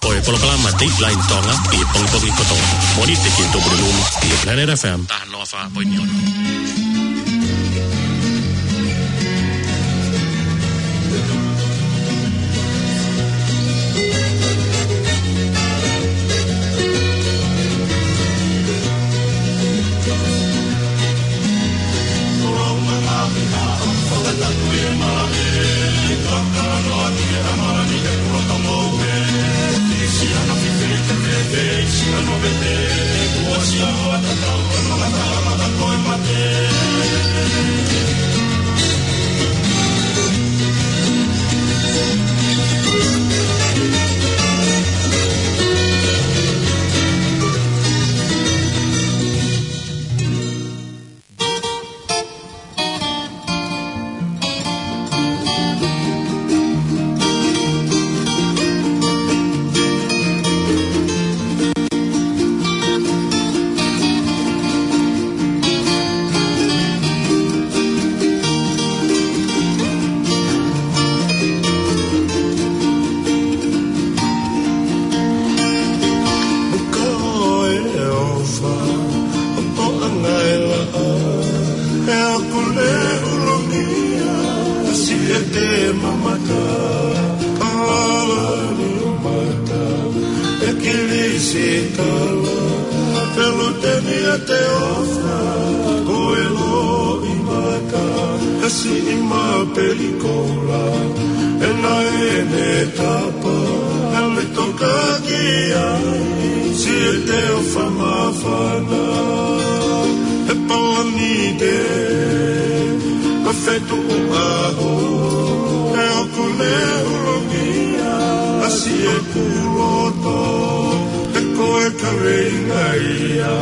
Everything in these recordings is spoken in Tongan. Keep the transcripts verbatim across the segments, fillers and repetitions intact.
Ko e polokalama Dateline Tonga ʻi he pongipongi kotoa. Mōnite ki he Tupuna Lulu ʻi he Planet F M. Taha noa fā poini ono. Ko e ʻofa ʻo e ʻangaʻofa ʻe ʻoku ne ʻulungia, siʻete mamata, palani mata, ʻe kilisitala, feluteni ʻa e ʻofa, ko e loʻimata, ʻa e siʻi mapeli koula, ʻe naʻe ne tapa, ʻa e toka ki ai, siʻete ʻofa māfana, ʻe palani te, ka fetuʻu ʻaho, ʻe ʻoku ne ʻulungia, ʻa siʻeku loto, ʻe ko e kaveinga ia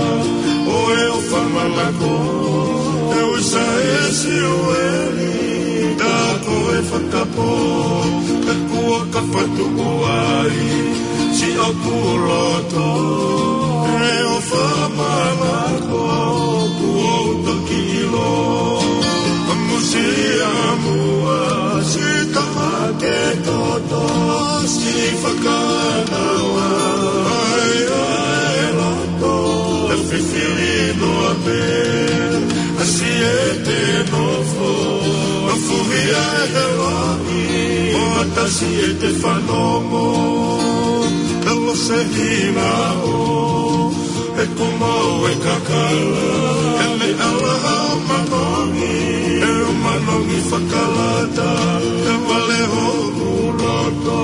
ʻo e ʻofa manako, ʻe uisa ʻe Siueli, tā ko e fakapō, ʻe kuo ka fatu ai, siʻoku loto, ʻe ʻofa manako, kuo u toki ʻilo, ʻa e musiamu ʻa Sitama ke toto, siʻi fakanaua, ʻa e ʻa e loto, ʻe fifili noa pē, ʻa siʻete nofo, ʻa fuhi ʻa e helo, ʻo ʻatasi ʻete fanongo, ʻa lose hina ʻo, ʻe kumau e kakala, ʻe meʻa lahi ʻo manongi, ʻe ʻo manongi fakalata, ʻe vale hoku loto,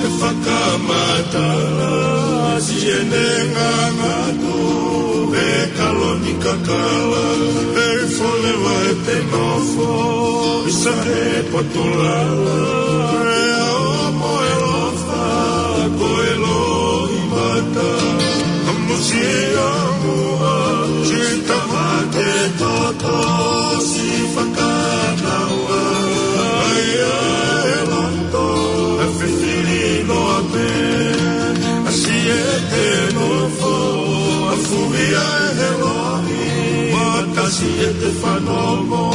ʻe fakamatala, siʻene ngangatu, ʻe kaloni kakala, ʻe fole vai te nofo, ʻi sa he potulala, ʻe ʻomo e lofa, ko e loʻimata, ʻa e musiamu ʻa Sitama ke toto, siʻi fakanaua, ʻa e ʻa e loto, ʻe fifili noa pē, ʻa siʻete nofo, ʻa fuhi ʻa e helo, ʻa ʻatasi ʻete fanongo,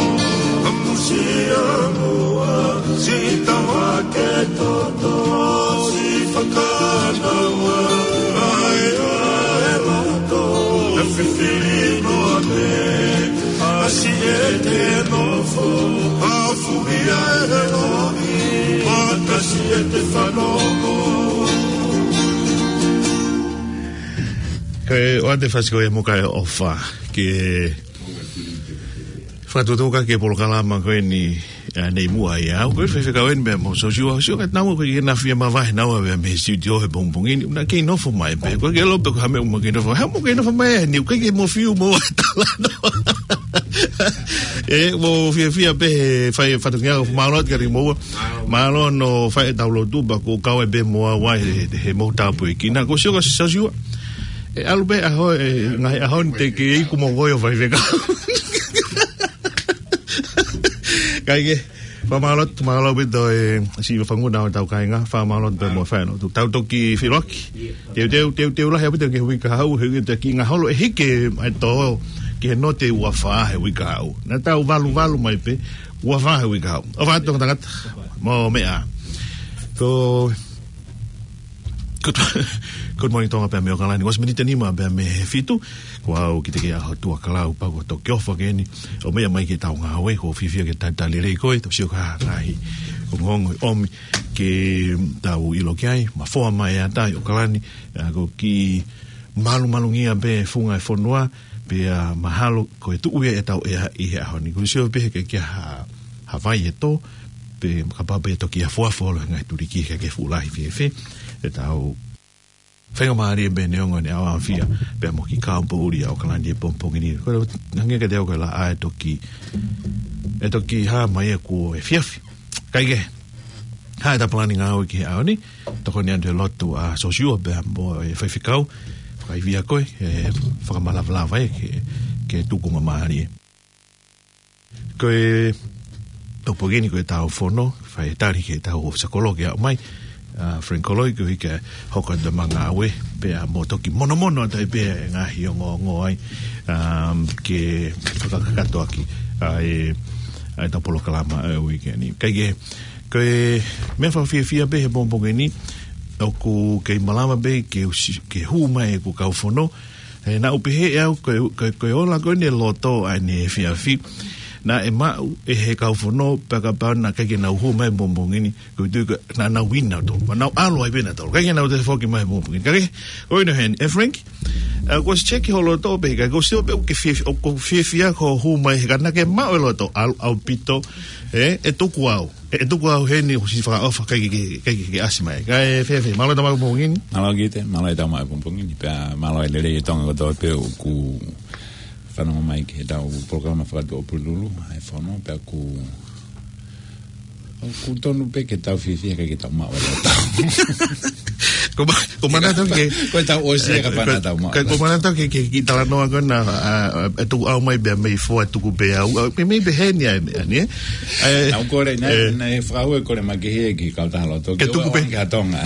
ʻa e musiamu ʻa Sitama ke toto, siʻi fakanaua, ʻa e ʻa e loto, ʻe fifili noa pē, ʻa siʻete nofo, ʻa fuhi ʻa e helo, ʻa ʻatasi ʻete fanongo. Ko e ʻoatu e fasi ko ia mo ka e ʻofa, ke fakatuʻutuʻu ki he polokalama ko eni, ʻa, Nei Muʻa ia. Ko e faifekau eni pea mo Sosiua, Sosiua ka tau ko e na fia mavahe naua mei he studio he pongipongi ni, na kei nofo mai pē. Ko e ke lope ko ha meʻa uma kei nofo. Ha mo kei nofo mai ni, ko e ke mo fiu mo tala no. ʻE, mo fiafia pē he fai fatongia ko mālō atu kiate kimoua. Mālō hono fai e tau lotu pea ko e kau ai pē mo au he, he mo tāpuekina. Ko Sosiua, Sosiua. ʻE ʻalu pē ʻaho, ʻe, ngaahi ʻaho ni te ke iku mo koe ʻo faifekau. Kae kehe, fakamālō, mālō ʻaupito e siʻi fanga ʻo e tau kāinga, fakamālō pē mo e fai lotu. Tau toki feʻiloaki. Teuteu, teuteu lahi ʻaupito ki he uike kahaʻu, he uike te ki ngaholo, ʻe hiki mai tō, ki he note ua fā he uike kahaʻu. Na tau valu valu mai pē, ua fā he uike kahaʻu. ʻOfa atu tangata, mo meʻa. Ko Good, good morning, Tonga, pea mei ʻOkalani. Kuo ʻosi miniti ʻe nima pea mei he fitu, ko au Kitekeʻaho Tuʻakalau, pea ko Toki Ofa ke ni, ʻo meʻa mai ki heʻetau ngāue, ʻoku ou fiefia ke talitali lelei koe, tau sio ki ha ngaahi ongoongo ʻoku ʻomi ke tau ʻilo ki ai, mafoa mai ʻa e ʻatai ʻi ʻOkalani, ʻa, ko e kiʻi malumalu ngia pē funga e fonua, pea mahalo ko e tuʻu ia ʻetau ʻea ʻi he ʻaho ni. Kuo u sio pē he ʻikai ke ʻi ai ha, ha vai ʻe tō, pea kapau pē ʻe toki afuafu holo e ngaahi tuliki he ʻikai ke fuʻu lahi fiefia ʻetau faingamālie pē neongo ʻene ʻaoʻaofia pea mo e kiʻi kaupōʻuli ʻa ʻOkalani he pongipongi ni. Ko e hangē kiate au ko e laʻā ʻe toki, ʻe toki hā mai ʻa kuo efiafi. Kae kehe, hā ʻeta palani ngāue ki he ʻaho ni, tokoni atu he lotu ʻa Sosiua pea mo e faifekau, fakaivia koe, ʻe fakamalavalava ia ke, ke tukunga mālie. Ko e pongipongi ni ko ʻetau fono, fai tali ki heʻetau ʻofisa kolo ke aʻu mai, ʻa Frank Koloi, koeʻuhi ke hoko atu ʻema ngāue, pea mo toki monomono atu ai pē e ngaahi ongoongo ai, um, ke fakakakato ʻaki ʻa e, ʻa ʻeta polokalama ʻa e uike ni. Kae kehe, ko e meʻa fakafiefia pē he pongipongi ni, ʻoku kei malava pē ke usi, ke hū mai ʻeku kau fono, he naʻá ku pehē ʻe au, ko e, ko e, ko e ola ko eni e loto ʻa ʻene efiafi. Naʻe maʻu ʻe he kau fono, pea kapau naʻe ʻikai ke nau hū mai he pongipongi ni, ʻoku ou tui ko e naʻa nau ʻi ai nautolu. Pea nau ʻalu ai pē nautolu. ʻIkai ke nau toe foki mai he pongipongi ni. Kae kehe, ʻoku ʻi ai heni, ʻe Frank, ʻa, kuo ʻosi check hoʻo loto pē, kae kuo ʻosi ʻilo pē ʻoku ke fief-, ʻoku fiefia hoʻo hū mai he ka naʻá ke maʻu e loto, ʻalu ʻaupito, ē, ʻe tuku au. ʻE, ʻe tuku au heni ʻoku ou siʻi fakaʻofa ʻikai ke, ke, ke, ke ʻasi mai. Kae fēfē, mālō e tau maʻu e pongipongi ni. Mālō Kite, mālō e tau maʻu e pongipongi ni. Pea mālō e lelei ʻa e Tonga kotoa pē ʻoku fanongo mai ki heʻetau polokalama fakatuʻapulelulu, ʻa e fono, pea ʻoku, ʻoku tonu pē ke tau fiefia ʻikai ke tau maʻu e loto. Ko ma-, ko manatu ke, ko ʻetau ʻosi ia ka pana tau maʻu. Ko, ko manatu ke, ke, ke talanoa ko ena, ʻa, ʻa, ʻe tuku au mai pea mei fua tuku pē au. ʻA, mei, mei pē heni ʻa e, ʻa e, ʻa e. Naʻá ku kole, naʻe, ʻe, naʻe fakaue kole makehe ki he kautaha loto. Ke tuku pē. Ki ha Tonga.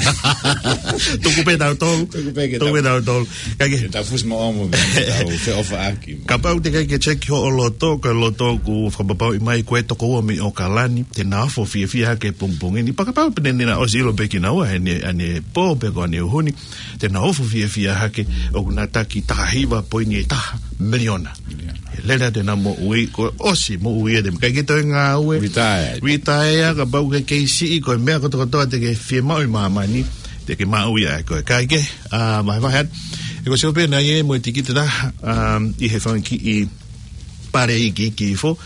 Tuku pē tautolu. Tuku pē ke tau, tuku pē tautolu. Kae kehe, ke tau fusi mo omo, ke tau feʻofaʻaki. Kapau te ke ʻikai ke check hoʻo loto, ko e loto ʻoku fakapapauʻi mai ko e tokoua mei ʻOkalani, te na ofo fiefia hake he pongipongi ni. Pea kapau pē naʻe ʻosi ʻilo pē kinaua heʻene, ʻene pō pe ko ʻene ʻuhu ni, te na ofo fiefia hake, ʻoku na taki taha hiva poini ʻe taha miliona. Miliona. He lele atu ʻena moʻui, kuo ʻosi moʻui ʻe te ʻikai ke toe ngāue. Retire. Retire, kapau ke kei siʻi, ko e meʻa kotokotoa te ke fiemaʻu ʻi māmani, te ke maʻu ia ʻe koe. Kae kehe, ʻa, vahevahe atu. ʻOku ou sio pē naʻe ʻi ai mo e tikite ʻe taha, um, ʻi he fanga kiʻi pale iiki, iiki hifo,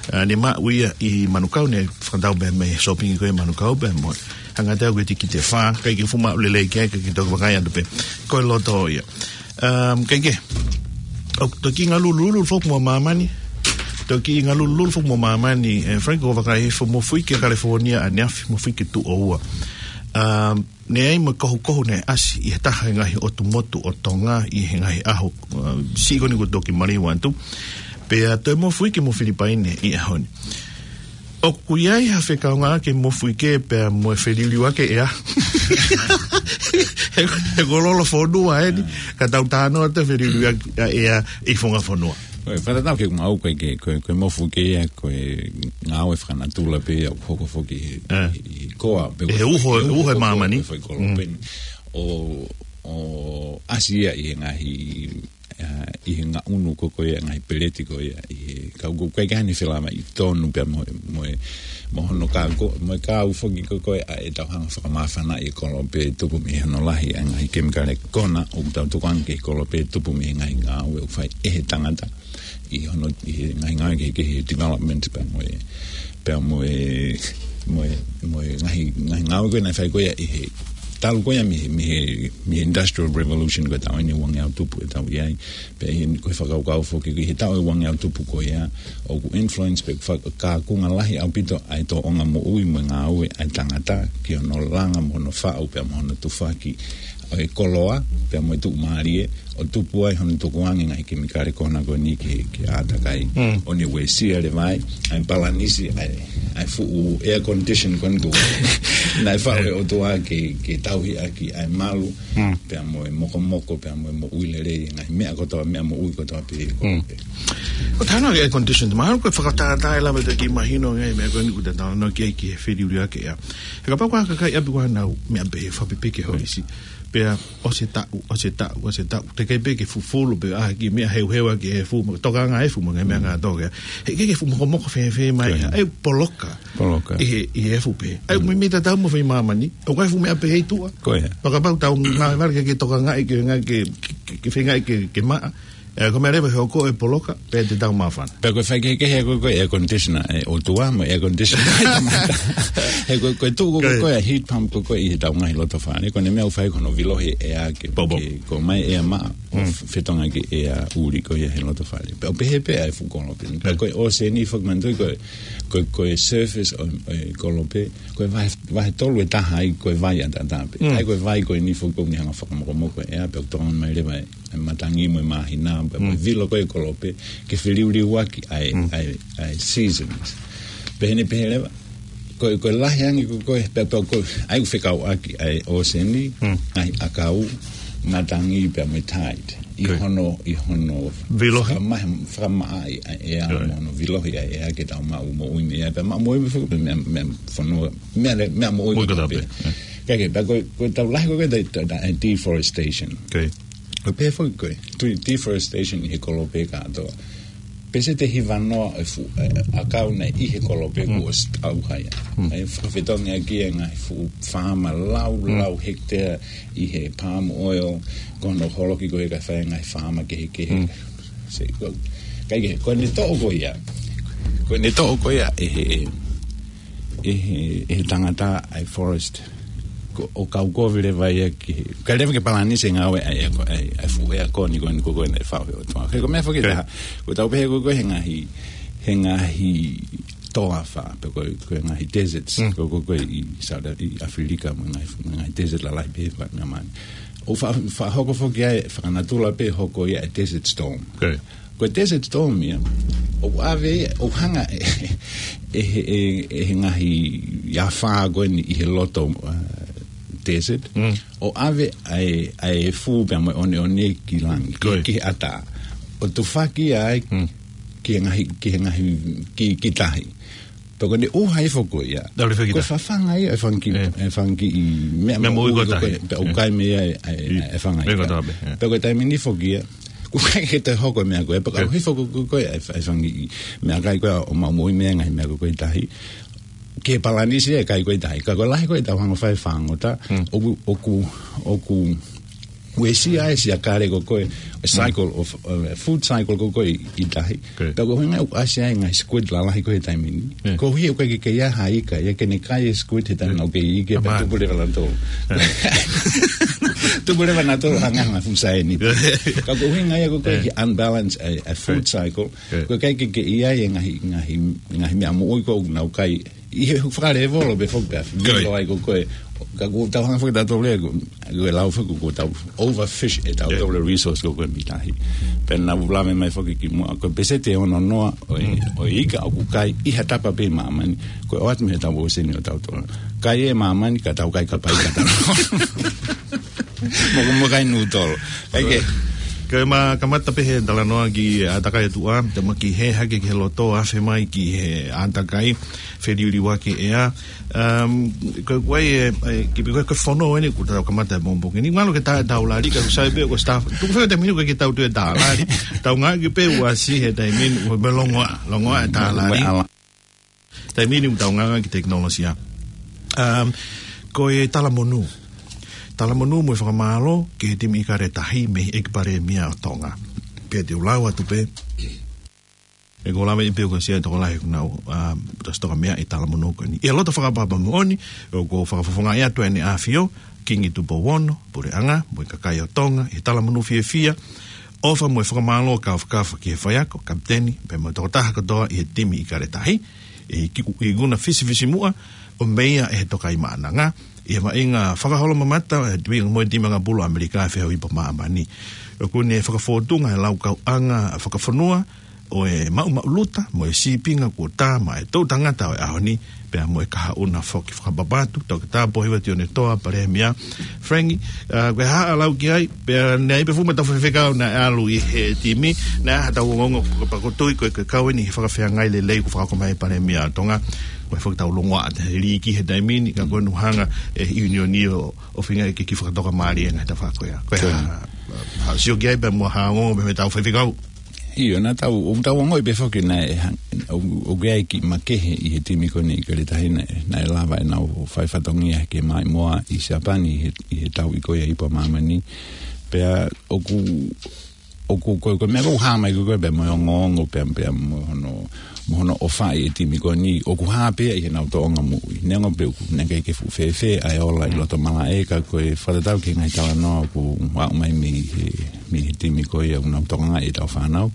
ʻa, ne maʻu ia ʻi Manukau, ne fakatau pē mei he sōpingi ko ē ʻi Manukau pē mo. Hanga atu ko e tikite ʻe fā, ʻikai ke fuʻu maʻu lelei ki ai, ʻikai ke toki vakai atu pē. Ko e loto ia. Um, kae kehe, ʻoku toki ngalululu foki mo māmani, toki ngalululu foki mo māmani, ʻe Frank, ʻo vakai hifo mo fui ki California ʻaneafi, mo fui ki tuʻo ua. Um, ne ʻi ai mo e kohukohu naʻe ʻasi ʻi he taha e ngaahi ʻotu motu ʻo Tonga ʻi he ngaahi ʻaho, uh, siʻi ko eni kuo toki maliu atu. Pea toe mofuike mo Filipaine ʻi he ʻaho ni. ʻOku ʻi ai ha fekauʻaki e mofuike pea mo e feliliuaki e ʻea? He, he ko e lolofonua eni, ka tau talanoa atu e feliliuaki e ʻea ʻi he funga fonua. Ko e fakatatau ki heʻeku maʻu ko e, ko e, ko e mofuike ia, ko e ngāue fakanatula pē ia ʻoku hoko foki he, ʻa, he, he koa, pe he ko e, uho, he uho uho e ko e māmani. Pe ko e kolo Mm. pē eni. ʻO, ʻo ʻasi ia ʻi he ngaahi, ʻa, ʻi he ngaʻunu ko ē ko ē, ngaahi peleti ko ē, ʻi he kau ko ē, ʻikai ke ʻi ai hano felāveʻi tonu pea mo, mo, mo hono kau ko, mo e kau foki ko ē ko ē, ʻa, ʻetau hanga fakamāfanaʻi e kolo pē tupu mei hono lahi ʻa e ngaahi kemikale ko ena, ʻoku tau tukuange ki he kolo pē tupu mei he ngaahi ngāue ʻoku fai ʻe he tangata. ʻI hono, ʻi he ngaahi ngāue kehekehe, development pea mo e, pea mo e, mo e, mo e ngaahi, ngaahi ngāue ko ē naʻe fai ko ia ʻi he talu ko ia mei he, mei he, mei he Industrial Revolution ko ē ʻetau ʻi he ua ngeau tupu ʻetau ʻi ai. Pea ʻi he ko e fakakaukau foki ʻi he taʻu ʻe ua ngeau tupu ko ia, ʻoku influence pe fa-, kaunga lahi ʻaupito ʻa e tōʻonga moʻui mo e ngāue ʻa e tangata ki hono langa mo hono faʻu pea mo hono tufaki ʻo e koloa, pea mo e tuʻumālie, ʻo tupu ai hono tukuange ngaahi kemikale ko ena ko eni ke, ke ʻātakai. Mm. ʻO ne uesia leva ai ʻa e palanisi, ʻa e, ʻa e fuʻu air condition ko eni ko ē naʻe faʻu ʻe he ʻOtua ke, ke tauhi ʻaki ʻa e malu, Mm. pea mo e mokomoko, pea mo e moʻui lelei, ngaahi meʻa kotoa, meʻa moʻui kotoa pē, kotoa Mm. pē. ʻOku ou talanoa ki he air condition, mahalo ko e fakatātā ʻe lava ke mahino ngaahi meʻa ko eni ʻoku ou talanoa ki ai ki he feliliuaki e ʻea. He kapau ko ha kakai ʻapi ko ē ʻoku nau meʻa pē he fakapipiki ho isi. Pea ʻosi e taʻu, ʻosi e taʻu, ʻosi e taʻu. Teʻeki pē ke fufulu pē ʻa e kiʻi meʻa heuheu ʻaki e efu, mo tokanga efu mo e ngaahi meʻa ngātoka. He ʻikai ke fuʻu mokomoko fēfē mai. ʻA e poloka. Poloka. ʻI he, ʻi he efu pē. ʻA e meimei tatau mo fai māmani. ʻOku ʻi ai e fuʻu meʻa pē ʻi tuʻa. Ko ia. Pea kapau tau ngāue vale ke, ke tokangaʻi ke, ngāue ke, ke, ke feingaʻi ke, ke maʻa. ʻE, ko e meʻa leva he ʻoku ʻi ai e poloka, pea te tau māfana. Pea ko e faikehekehe ko ē ko e air conditioner, ʻe, ʻOtua mo e air conditioner. He ko, ko e tuʻu ko ē ko e heat pump ko ē ko ē ʻi heʻetau ngaahi loto fale. Ko ʻene meʻa ʻoku fai ko hono vilohi e ʻea ke, ke ʻomai e ʻea maʻa, ʻo fetongi e ʻea ʻuli ko ia he loto fale. Pea ʻoku pehē pē ʻa e fuʻu kolope. Pea ko e ʻōseni foki manatuʻi ko e, ko e, ko e surface ʻo, ʻo e kolope, ko e vahe, vahe tolu e taha ai ko e vai ʻataʻatā pē. ʻA ia ko e vai ko eni foki ʻoku ne hanga ʻo fakamokomoko e ʻea, pea ʻoku tokanga mai leva e e matangi mo e māhina, pea mo e vilo ko ē e kolope, ke feliuliuaki ʻa e, ʻa e, ʻa e seasons. Pea ʻi heʻene pehē leva, ko e, ko e lahi ange ko ē, pea, pea ko e, ʻa ia ʻoku fekauʻaki ʻa e ʻōseni, ngaahi ʻakau, matangi pea mo e tide. ʻI hono, ʻi hono fakamaʻa, fakamaʻa ʻa e ʻea, mo hono vilohi ʻa e ʻea ke tau maʻu moʻui mei ai, pea maʻu moʻui mei ai foki, pea meʻa, meʻa fonua, meʻa le, meʻa moʻui kotoa pē. Kae kehe, pea ko e, ko ʻetau lahi ko ē ko e ta, ta, ta, e deforestation. Ko e pehē foki ko e, tui deforestation ʻi he kolope kātoa. Peseti ʻe hivanoa e fuʻu, e, ʻakau naʻe ʻi he kolope kuo ʻosi ʻauha ia. ʻA ia fakafetongi ʻaki e ngaahi fuʻu faama lau, lau hectare ʻi he palm oil, ko hono holoki ko ē kae fai e ngaahi faama kehekehe. Se, ko, kae kehe, ko ʻene toʻo ko ia. Ko ʻene toʻo ko ia ʻe he, ʻe he, ʻe he tangata ʻa e forest. Ko, ʻo kaukovi leva ia ki he, ʻikai leva ke palanisi e ngāue ʻa e, ʻa e, ʻa e fuʻu ʻea ko eni ko eni ko ē naʻe faʻu ʻe he ʻOtua. Ko e meʻa foki ʻe taha, ko ʻetau pehē ko ē ko e he ngaahi, he ngaahi toafa, pe ko e, ko e ngaahi deserts, ko ē ko ē ko ē ʻi South, ʻi ʻAfilika, mo e ngaahi, ngaahi desert lalahi pē he faʻa mani. ʻOku fa-, fakahoko foki ai, fakanatula pē hoko ia e desert storm. Ko e desert storm ia, ʻoku ʻave, ʻoku hanga ʻe, ʻe, ʻe, ʻe he ngaahi afā ko eni ʻi he loto, uh, desert, ʻo ʻave ʻa e, ʻa e efu pea mo e ʻoneʻone ki langi, ki, ki he ʻatā. ʻO tufaki ai ki he ngaahi, ki he ngaahi, ki, ki tahi. Pea ko ʻene ʻuha hifo ko ia. Ko e fafanga ia e fanga kiʻi, e fanga kiʻi meʻa moʻui ko ē ko ē, pea ʻoku kai mei ai e, e, e fanga ia. Pea ko e taimi ni foki ia, ʻoku ʻikai ke toe hoko e meʻa ko ē, pea ka hifo ko ē ko ē e fa-, e fanga kiʻi meʻakai ko ē ʻo maʻu moʻui mei ai e ngaahi meʻa ko ē ko ē ʻi tahi. Ke palanisi e kai ko ē ʻi tahi. Ka ko e lahi ko ē ʻetau hanga ʻo fai e fāngota, ʻoku, ʻoku, ʻoku uesia e siakale ko ē ko ē, e cycle of, uh, food cycle ko ē ko ē ʻi, ʻi tahi. Pea ko e ʻuhinga ia ʻoku ʻasi ai e ngaahi squid lalahi ko ē he taimi ni. Ko e ʻuhi ʻoku ʻikai ke ʻi ai ha ika ia ke ne kai e squid he taimi naʻa nau kei ike pea tupu leva nautolu. Tupu leva nautolu hangē ha ngaahi fuʻu saiani. Ka ko e ʻuhinga ia ko ē ko ē he unbalance e, e food cycle. Ko e ʻikai ke, ke ʻi ai e ngaahi, ngaahi, ngaahi meʻa moʻui ko ē ʻoku nau kai ʻi he fakalevolo pē foki pea vilo ai ko ē ko ē. Ka ʻoku tau hanga foki tautolu ia, ko, ko e lau foki ko ʻetau overfish ʻetautolu e resource ko ē ko ē mei tahi. Pea naʻa ku lave mai foki kimuʻa, ko e peseti ʻe ono noa ʻo e, ʻo e ika ʻoku kai ʻi ha tapa pē ʻi māmani, ko e ʻoatu mei heʻetau ʻōseni ʻotautolu. Kai ʻe māmani, ka tau kai kapa ika tautolu. Mo, mo kai nūtolo. Kae kehe. Ko e ma kamata pē he talanoa ki he ʻātakai ʻa e tuʻa, te ma kiʻi hē hake ki he loto, afe mai ki he ʻātakai, feliuliuaki e ʻea. Um, ko e, ko e, e, ki, ko e, ko e fono eni kuo tau kamata e pongipongi ni. Ngalo ke tā, tau lali ka sai pē ko e staff. Tuku fē taimi ni ko e ke tau toe tā lali. Tau ngāueʻaki pē uasi he taimi ni, ʻo me longoaʻa, longoaʻa e tā lali. Taimi ni ʻoku tau ngāueʻaki tekinolosia. Um, ko e talamonū. Talamonū mo e fakamālō ki he timi ʻIkale Tahi mei he ʻEiki Palēmia ʻo Tonga. Pea te u lau atu pē. ʻE ko lava i pē ko sia tokolahi ʻoku nau, um, tasi toka meʻa ʻi he talamonū ko eni. ʻI he loto fakaʻapaʻapa moʻoni, ʻoku ou fakafofongaʻi atu ʻEne ʻAfio, Kingi Tupou Ono, Puleʻanga, mo e kakai ʻo Tonga, ʻi he talamonū fiefia, ʻofa mo e fakamālō kāfakafa ki he faiako, kapiteni, pea mo e tokotaha kotoa ʻi he timi ʻIkale Tahi, ʻi he ki-, ʻi he nguna fisifisimuʻa ʻo meia ʻe he Tokaimaʻananga, ʻi he vaʻinga fakaholomamata, ʻe he timi, mo e timi ʻanga pulu ʻAmelika ʻi he feʻauhi pa māmani. ʻOku ne fakafōtunga e laukauʻanga fakafonua, ʻo e maʻumaʻuluta mo e sīpinga kuo tā maʻa e toʻu tangata ʻo e ʻaho ni, pea mo e kahaʻu na foki. Fakapapau atu, Toketā Pōhiva Tionetoa, Palēmia. Frank, ʻa, ko e hā ʻa lau ki ai, pea naʻe ʻi ai pē fuʻu ʻetau faifekau naʻe ʻalu ʻi he timi, naʻe ʻi ai haʻatau ongoongo, pea ʻoku ou tui ko e, ko e kau eni he fakafeangai lelei kuo fakahoko mai ʻe he Palēmia ʻo Tonga, ko e foki ʻetau longoaʻa ʻa e liiki he taimi ni, ka ko e ʻuhinga ʻe he ʻiunioni ʻo, ʻo feinga ke kiʻi fakatoka mālie e ngaahi tafaʻaki ko ia. Ko e hā, hā, hā, sio ki ai pea mo ha ongoongo pē mei heʻetau faifekau. ʻIo, naʻa tau, ʻoku tau ongoʻi pē foki naʻe, ʻo, ʻoku ʻi ai e kiʻi makehe ʻi he timi ko eni ʻIkale Tahi naʻe, naʻe lava ʻenau fai fatongia ke maʻimoa ʻi Siapani ʻi he, ʻi he tau ʻi ko ia ʻi Ipu ʻa Māmani. Pea ʻoku, ʻoku, ko e, ko e meʻa ʻoku hā mai ko ē pea mo e ongoongo pea, pea mo hono, mo hono ʻofaʻi e timi ko eni, ʻoku hā pē ia ʻi heʻenau tōʻonga moʻui. Neongo pē ʻoku, naʻe ʻikai ke fuʻu fēfē ʻa e ola ʻi loto malaʻe, ka ko e fakatatau ki he ngaahi talanoa ʻoku aʻu mai mei he, mei he timi ko ia ʻoku nau tokangaʻi ʻetau fānau.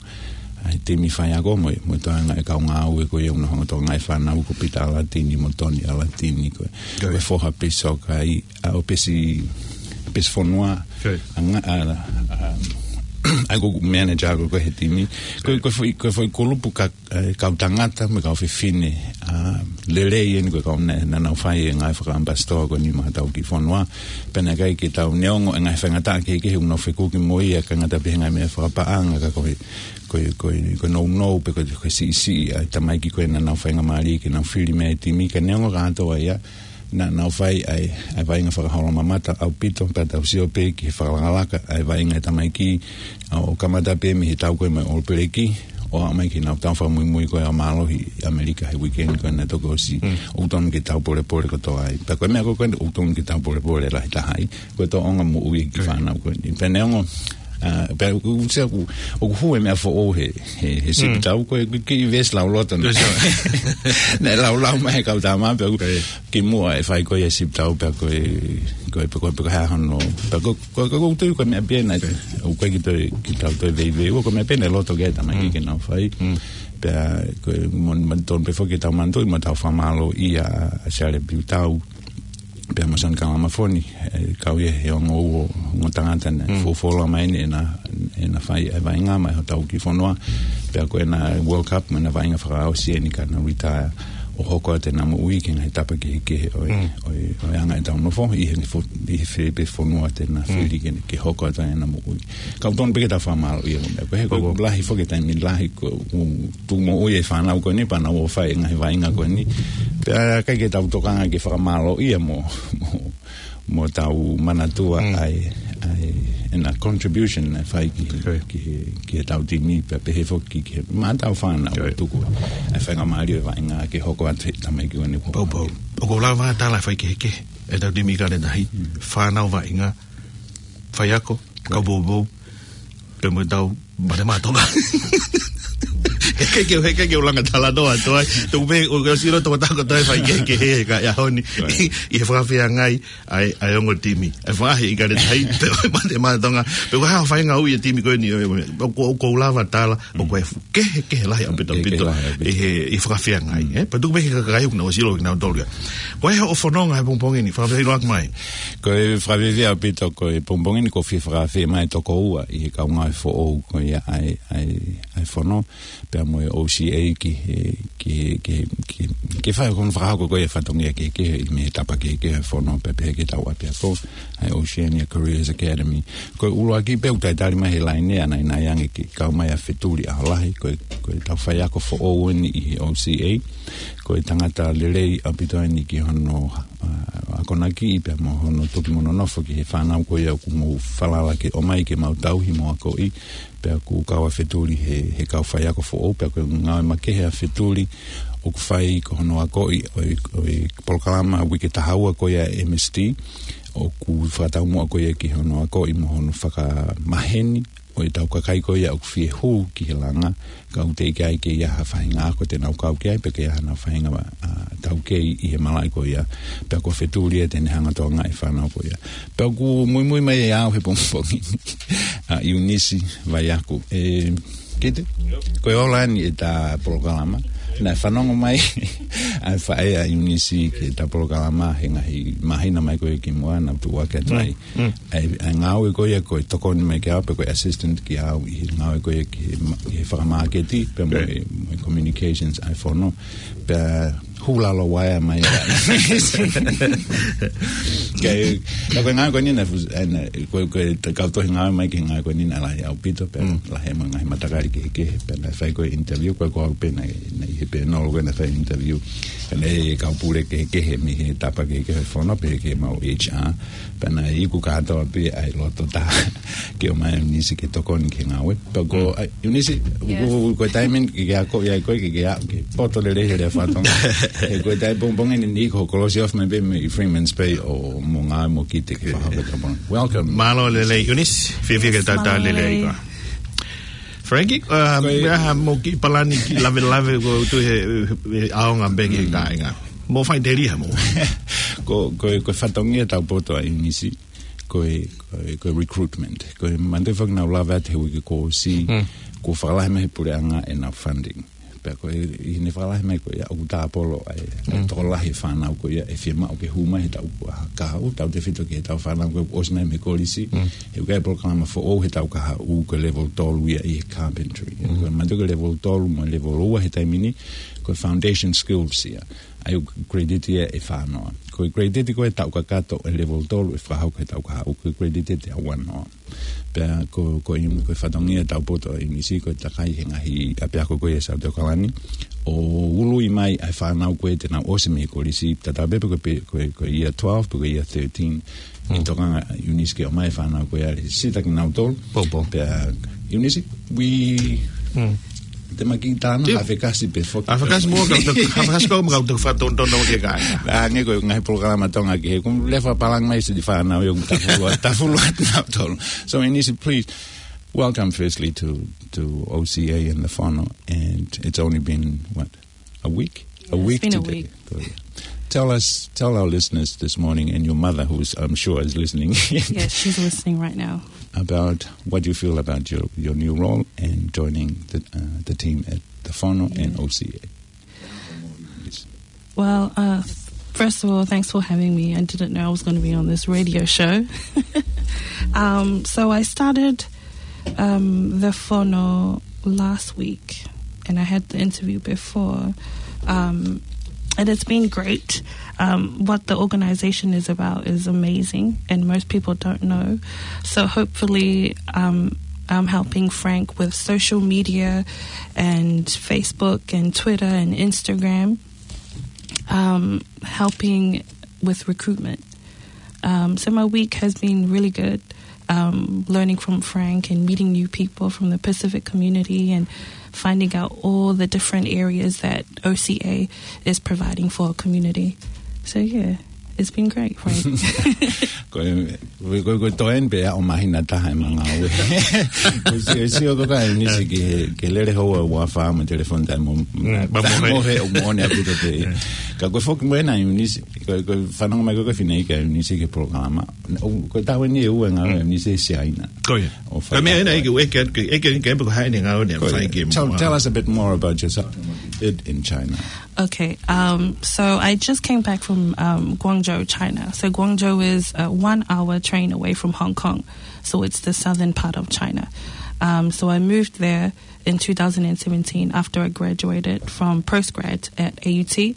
ʻA e timi faiako mo e, mo e toenga e kau ngāue ko ia ʻoku nau hanga ʻo tokangaʻi e fānau ko Pita ʻAlatini mo Toni ʻAlatini ko e, ko e foha Pesi Sokai, ʻa, ʻo Pesi, Pesi Fonua. ʻA, ʻa, ʻa, ʻa, ko e manager ko ē he timi. Ko e, ko e foʻi, ko e foʻi kulupu ka, ʻa e kau tangata mo e kau fefine, ʻa, lelei eni ko e kau naʻa, naʻa nau fai e ngaahi fakaʻamipasitoa ko eni maʻa hotau kiʻi fonua. Pea naʻe ʻikai ke tau neongo e ngaahi faingataʻa kehekehe ʻoku nau fekuki mo ia, ʻikai ngata pē he ngaahi meʻa fakapaʻanga ka ko e, ko e, ko e, ko e nounou pe ko e, ko e siʻisiʻi ʻa e tamaiki ko ē naʻa nau faingamālie ke nau fili mei ai e timi, ka neongo kātoa ia, naʻa nau fai ʻa e, ʻa e vaʻinga fakaholomamata ʻaupito, pea tau sio pē ki he fakalakalaka ʻa e vaʻinga e tamaiki, ʻo kamata pē mei he tau ko ē mo e All Black, ʻo aʻu mai ki heʻenau tau fakamuimui ko ē ʻo mālohi ʻi ʻAmelika he weekend ko ē naʻe toki ʻosi. ʻOku tonu ke tau polepole kotoa ai. Pea ko e meʻa ko ē ʻoku tonu ke tau polepole lahi taha ai, ko e tōʻonga moʻui e kiʻi fānau ko eni. Pea neongo, ʻa, pea ʻoku, ʻoku, ʻoku hū e meʻa foʻou he, he, he sipitau, ko e, ko e kiʻi veesi lauloto naʻe, naʻe laulau mai he kau tama, pea ʻoku, kimuʻa e fai ko ia e sipitau, pea ko e, ko e, pea ko e, pea ko e hā hono, pea ko, ko, ko, ko e tui ko e meʻa pē naʻe, ʻoku ʻikai ke toe, ke tau toe veiveiua, ko e meʻa pē naʻe loto ki ai e tamaiki ke nau fai. Pea ko e mo, mo tonu pē foki ke tau manatuʻi mo tau fakamālōʻia ʻa Siale Piutau pea mo Sione Kalamafoni, e kau ia he ongo ua, ongo tangata naʻe fuofua mai eni ʻena, ʻena fai e vaʻinga maʻa hotau kiʻi fonua. Pea ko ʻena World Cup mo ʻena vaʻinga fakaʻosi eni ka na retire ʻo hoko atu ʻena moʻui ki he ngaahi tapa kehekehe ʻo e, ʻo e, ʻo e anga ʻetau nofo, ʻi he ngaahi fo-, ʻi he fē pē fonua te na fili ke, ke hoko atu ai ʻena moʻui. Ka ʻoku tonu pē ke tau fakamālōʻia mo e meʻa ko ē, he ko e lahi foki e taimi lahi ko ē ʻoku tuʻu moʻui e fānau ko eni, pea nau ō ʻo fai e ngaahi vaʻinga ko eni. Pea ʻikai ke tau tokanga ke fakamālōʻia mo, mo, mo tau manatua ʻa e, ʻa e, ʻena contribution naʻe fai ki he, ki he, ki heʻetau timi, pea pehē foki ki he, maʻa hotau fānau ʻoku tuku ʻa e faingamālie e vaʻinga ke hoko atu he tamaiki ko eni. Pau, pau. ʻOku ou lava tala fai kehekehe ʻetau timi ʻIkale Tahi, fānau vaʻinga, faiako, kau poupou, pea mo ʻetau mate maʻa Tonga. He ʻikai ke, he ʻikai ke u langa talanoa atu ai. Tuku pē, ʻoku ou sio ʻoku tau kotoa ʻe fai kehekehe he ʻaho ni. ʻI he fakafeangai ʻa e, ʻa e ongo timi. ʻA e faʻahi ʻIkale Tahi, pea mo e mate maʻa Tonga. Pea ko e hā e faʻahinga ui e timi ko eni, ʻoku, ʻoku ou lava tala, ʻoku ʻi ai e fuʻu kehekehe lahi ʻaupito, ʻaupito. ʻI he, ʻi he fakafeangai, ē? Pea tuku pē ki he kakai ʻoku nau ʻosi ʻilo kinautolu ia. Ko e hā hoʻo fononga he pongipongi ni, fakafiefia mai. Ko e fakafiefia ʻaupito ko e pongipongi ni ʻoku ou fie fakaafeʻi mai e toko ua ʻi he kau ngāue foʻou ko ia ʻa e, ʻa e, ʻa e fono, pea mo e O C A ki he, ki he, ki he, ki he, ki he fai ko ē hono fakahoko ko ia e fatongia kehekehe mei he tapa kehekehe he fono pea pehē ki heʻetau ʻapiako, ʻa e Oceania Careers Academy. Ko e ʻuluaki pē ʻoku talitali mai he laine ʻanaʻanai ange ke kau mai ʻa Fetuli ʻAholahi, ko e, ko ʻetau faiako foʻou eni ʻi he O C A. Ko e tangata lelei ʻaupito eni ki hono, ʻa, akonaki pea mo hono toki mo nonofo ki he fānau ko ia ʻoku mou falala ke ʻomai ke mau tauhi mo akoʻi, pea ʻoku kau ʻa Fetuli he, he kau faiako foʻou, pea ko e ngāue makehe ʻa Fetuli ʻoku fai ko hono akoʻi ʻo e, ʻo e polokalama uike taha ua ko ia M S T, ʻoku fakataumuʻa ko ia ki hono akoʻi mo hono fakamaheni ʻo ʻetau kakai ko ia ʻoku fie hū ki he langa, ka ʻoku teʻeki ai ke ʻi ai ha faʻahinga ako te nau kau ki ai, pe ke ʻi ai haʻanau faʻahinga, ʻa, taukei ʻi he malaʻe ko ia, pea ko Fetuli ia te ne hanga ʻo tokangaʻi e fānau ko ia. Pea ʻoku muimui mai ʻe au he pongipongi ni, ʻa, ʻIunisi Vaiaku. ʻE, Kite, ko e ola eni ʻeta polokalama. Naʻe fanongo mai ʻa e faʻē ʻa ʻIunisi ki heʻetau polokalama he ngaahi māhina mai ko ē kimuʻa naʻa ku tuʻu ʻaki atu ai. ʻA e, ʻa e ngāue ko ia ko e tokoni mai kiate au pe ko e assistant kiate au ʻi he ngāue ko ia ki he ma-, ki he fakamāketi pea mo e, mo e communications ʻa e fono. Pea hū lalo waea mai. Ke, ka ko e ngāue ko eni naʻe fu-, ʻa e, naʻe, ko e, ko e, ta-, kau tohi ngāue mai ki he ngāue ko eni naʻe lahi ʻaupito pea lahi mo e ngaahi matakali kehekehe pea naʻe fai ko e interview ko e ko au pē naʻe, naʻe ʻi he panel ko ē naʻe fai interview. Pea naʻe kau pule kehekehe mei he tapa kehekehe fono pea ki he mau H R. Pea naʻe iku kātoa pē ʻa e loto taha ke ʻomai ʻa ʻIunisi ke tokoni ki he ngāue. Pea ko, ʻa, ʻIunisi, ko, ko e taimi eni ke ke ako ia ko ē ke ke a, ke poto lelei he lea faka-Tonga. He ko e taimi pongipongi ni ʻoku kolosi ofi mai pē mei Freeman's Bay ʻo mo ngāue mo kite ke fakahoko e tapa. Welcome. Mālō lelei, ʻIunisi, fiefia ke tau tau lelei ai koe. Frankie, uh, ko e, ʻa e hā mo e kiʻi palani kiʻi lavelave ko ē ʻoku tuʻu he, he ʻaonga pē ki he kāinga. Mo fai tēlia mo. Ko, ko, ko e fatongia ʻetau poto ʻa ʻIunisi, ko e, ko e, ko e recruitment. Ko e manatuʻi foki naʻa ku lave atu he uike kuo ʻosi, kuo fakalahi mai he puleʻanga ʻenau funding. Pea ko e, ʻi heʻene fakalahi mai ko ia, ʻoku tāpolo ai, ʻa e tokolahi e fānau ko ia ʻe fiemaʻu ke hū mai he taʻu kahaʻu, tautefito ki heʻetau fānau ko ē ʻosi mai mei he kolisi, he ʻoku ʻi ai e polokalama foʻou he taʻu kahaʻu ko e level tolu ia ʻi he carpentry. Ko e manatuʻi ko e level tolu mo e level ua he taimi ni, ko e foundation skills ia. ʻA ia ʻoku credit ia ʻe fānoa. Ko e credit ko ē taʻu kakato ʻe level tolu ʻe fakahoko he taʻu kahaʻu, ko e credit ʻe teau noa. Pea ko, ko ʻIu-, ko e fatongia ʻetau poto ʻa ʻIunisi, ko e takai he ngaahi ʻapiako ko ia ʻi South Auckland, ʻo ului mai ʻa e fānau ko ē te nau ʻosi mei he kolisi, tatau pē pe ko e, pe ko e, ko e year twelve, pe ko e year thirteen, ʻi he tokanga ʻa ʻIunisi ke ʻomai e fānau ko ia ʻe sita kinautolu. Pea ʻIunisi, we, te maki tāna, hafekasi pē foki. Hafekasi mo ka, hafekasi pē mo ka, te fakatonutonu ki he kāinga. ʻA, nge ko e ngaahi polokalama Tonga ki he, kum lefa palang mai si di fānau, ʻoku tafulu, tafulu atu nautolu. So, ʻIunisi, please, welcome firstly to, to O C A and the Fono, and it's only been, what, a week? A week today. It's been a week. Good. Tell us, tell our listeners this morning and your mother, who's, I'm sure, is listening. Yes, she's listening right now. About what you feel about your, your new role and joining the, uh, the team at the Fono and O C A. Yes. Well, uh, th-, first of all, thanks for having me. I didn't know I was gonna be on this radio show. Um, so I started, um, the Fono last week, and I had the interview before. Um, and it's been great. Um, what the organization is about is amazing, and most people don't know. So hopefully, um, I'm helping Frank with social media and Facebook and Twitter and Instagram, um, helping with recruitment. Um, so my week has been really good, um, learning from Frank and meeting new people from the Pacific community and finding out all the different areas that O C A is providing for our community. So, yeah, it's been great, Frank. Ko e, ko e, ko e, ko e toeni pē ʻa e māhina taha e manga ue. Ko si, si o ko ka ʻIunisi ke, ke lele hou ʻa ua fā mo telefoni tai mo, mo he o mo ne apu te. Ka ko e foki mo ena ʻIunisi, ko e, ko e fanongo mai ko e fineʻeiki ʻa ʻIunisi ki he polokalama. ʻO, ko e taʻu eni ʻe ua e ngāue ʻa ʻIunisi ʻi Siaina. Ko ia. ʻO fai. Ka meʻa ena ʻeke, ʻeke, ʻeke, ʻeke, ʻeke, ko hai ne ngāue ne fai ki muʻa. Tell, tell us a bit more about yourself in China. Okay, um, so I just came back from, um, Guangzhou, China. So Guangzhou is a one-hour train away from Hong Kong. So it's the southern part of China. Um, so I moved there in two thousand seventeen after I graduated from postgrad at A U T.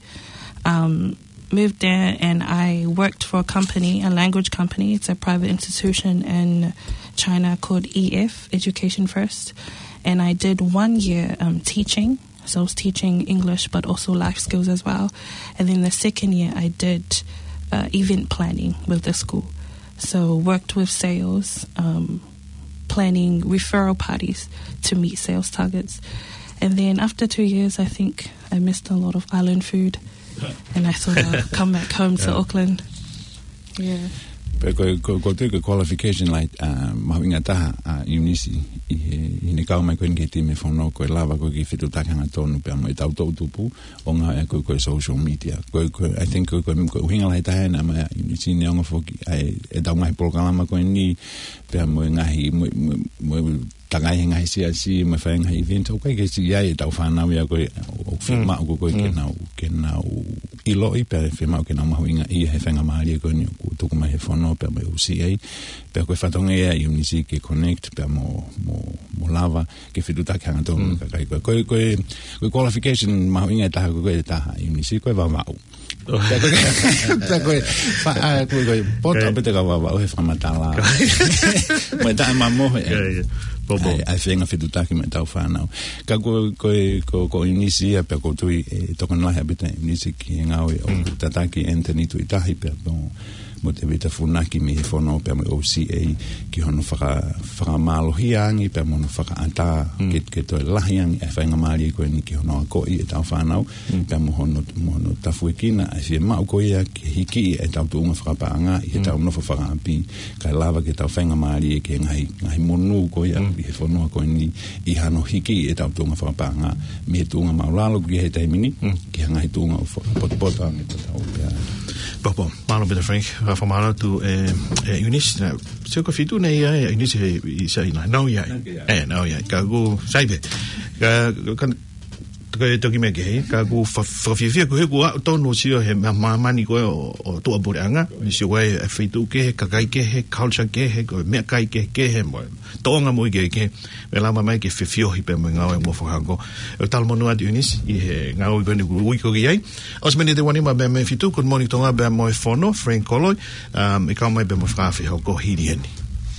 Um, moved there and I worked for a company, a language company. It's a private institution in China called E F, Education First. And I did one year, um, teaching. So I was teaching English, but also life skills as well. And then the second year, I did, uh, event planning with the school. So worked with sales, um, planning referral parties to meet sales targets. And then after two years, I think I missed a lot of island food. And I thought I'd come back home to Auckland. Yeah. Pea ko, ko, ko te ko e qualification, like, uh, mahuʻinga taha, uh, ʻIunisi, ʻi he, ʻi heʻene kau mai ko eni ki he timi Fono, ko e lava ko e ke fetuʻutaki hangatonu pea mo e tau toʻutupu, ʻo ngāue ko, ko e social media. Ko, ko, I think ko, ko, ko e ʻuhinga lahi taha ena mai ʻIunisi neongo foki ʻa e, ʻetau ngaahi polokalama ko eni, pea mo e ngaahi, mo, mo, mo takai he ngaahi siasi mo e fai ngaahi event, ʻoku ʻikai ke siʻi ai ʻetau fānau ia ko ē, ʻoku fiemaʻu ko ē ke nau, ke nau ʻiloʻi pea fiemaʻu ke nau mahuʻingaʻia he faingamālie ko eni ʻoku tuku mai he fono pea mo e O C A, pea ko e fatongia ia ʻa e ʻiuniti ke connect pea mo, mo, mo lava ke fetuʻutaki hangatonu mo e kakai ko ē. Ko e, ko e, ko e qualification mahuʻinga ʻe taha ko ē, ko e taha ʻiuniti ko e Vavaʻu. Pea ko e, pea ko e, fa-, ʻa, ko e, ko e poto ʻaupito ka Vavaʻu he fakamatala. Mo e taʻemamohe. ʻA e, ʻa e feinga fetuʻutaki mo ʻetau fānau. Ka ko, ko e, ko, ko ʻiuniti ia pea ʻoku ou tui ʻe tokoni lahi ʻaupito ʻiuniti ki he ngāue ʻoku tataki ʻe Anthony Tuʻitahi pea mo, mo Tevita Funaki mei he fono pea mo e O C A ki hono faka-, fakamālohia ange pea mo hono fakaʻatā ke, ke toe lahi ange ʻa e faingamālie ko eni ki hono akoʻi ʻetau fānau, pea mo hono, mo hono tafuekina ʻa e fiemaʻu ko ia ke hikiʻi ʻetau tuʻunga fakapaʻanga ʻi heʻetau nofo fakaʻapi, kae lava ke tau faingamālie ki he ngaahi, ngaahi monū ko ia ʻi he fonua ko eni ʻi hano hikiʻi ʻetau tuʻunga fakapaʻanga mei he tuʻunga māʻulalo ki he taimi ni, ki he ngaahi tuʻunga ʻoku fo-, potopoto ange tatau pea. Pea mālō ʻaupito Frank, fakamālō atu ʻe, ʻe ʻIunisi, naʻe sio ko e fitu nei ia ʻe ʻIunisi he ʻi Saina, nau ia. Nau ia. ʻE, nau ia. Ka ʻoku sai pē. Ka, ka, ko e toki meʻa kehe, ka ʻoku fa-, fakafiefia ko ē he ʻoku ou tonu ʻo sio he ma-, māmani ko ē ʻo, ʻo tuʻapuleʻanga, ʻi he sio ko ē ʻa e feituʻu kehe, kakai kehe, culture kehe, ko e meʻakai kehekehe, mo e tōʻonga moʻui kehekehe, mo e lava mai ke fefiohi pea mo e ngāue mo fakahoko. ʻOku talamonū atu ʻIunisi, ʻi he ngāue ko eni ʻoku ui koe ki ai. ʻOsi miniti ʻe uanima pea mei he fitu, Good Morning Tonga pea mo e fono, Frank Koloi, um, ʻe kau mai pea mo e fakafehoko hili eni.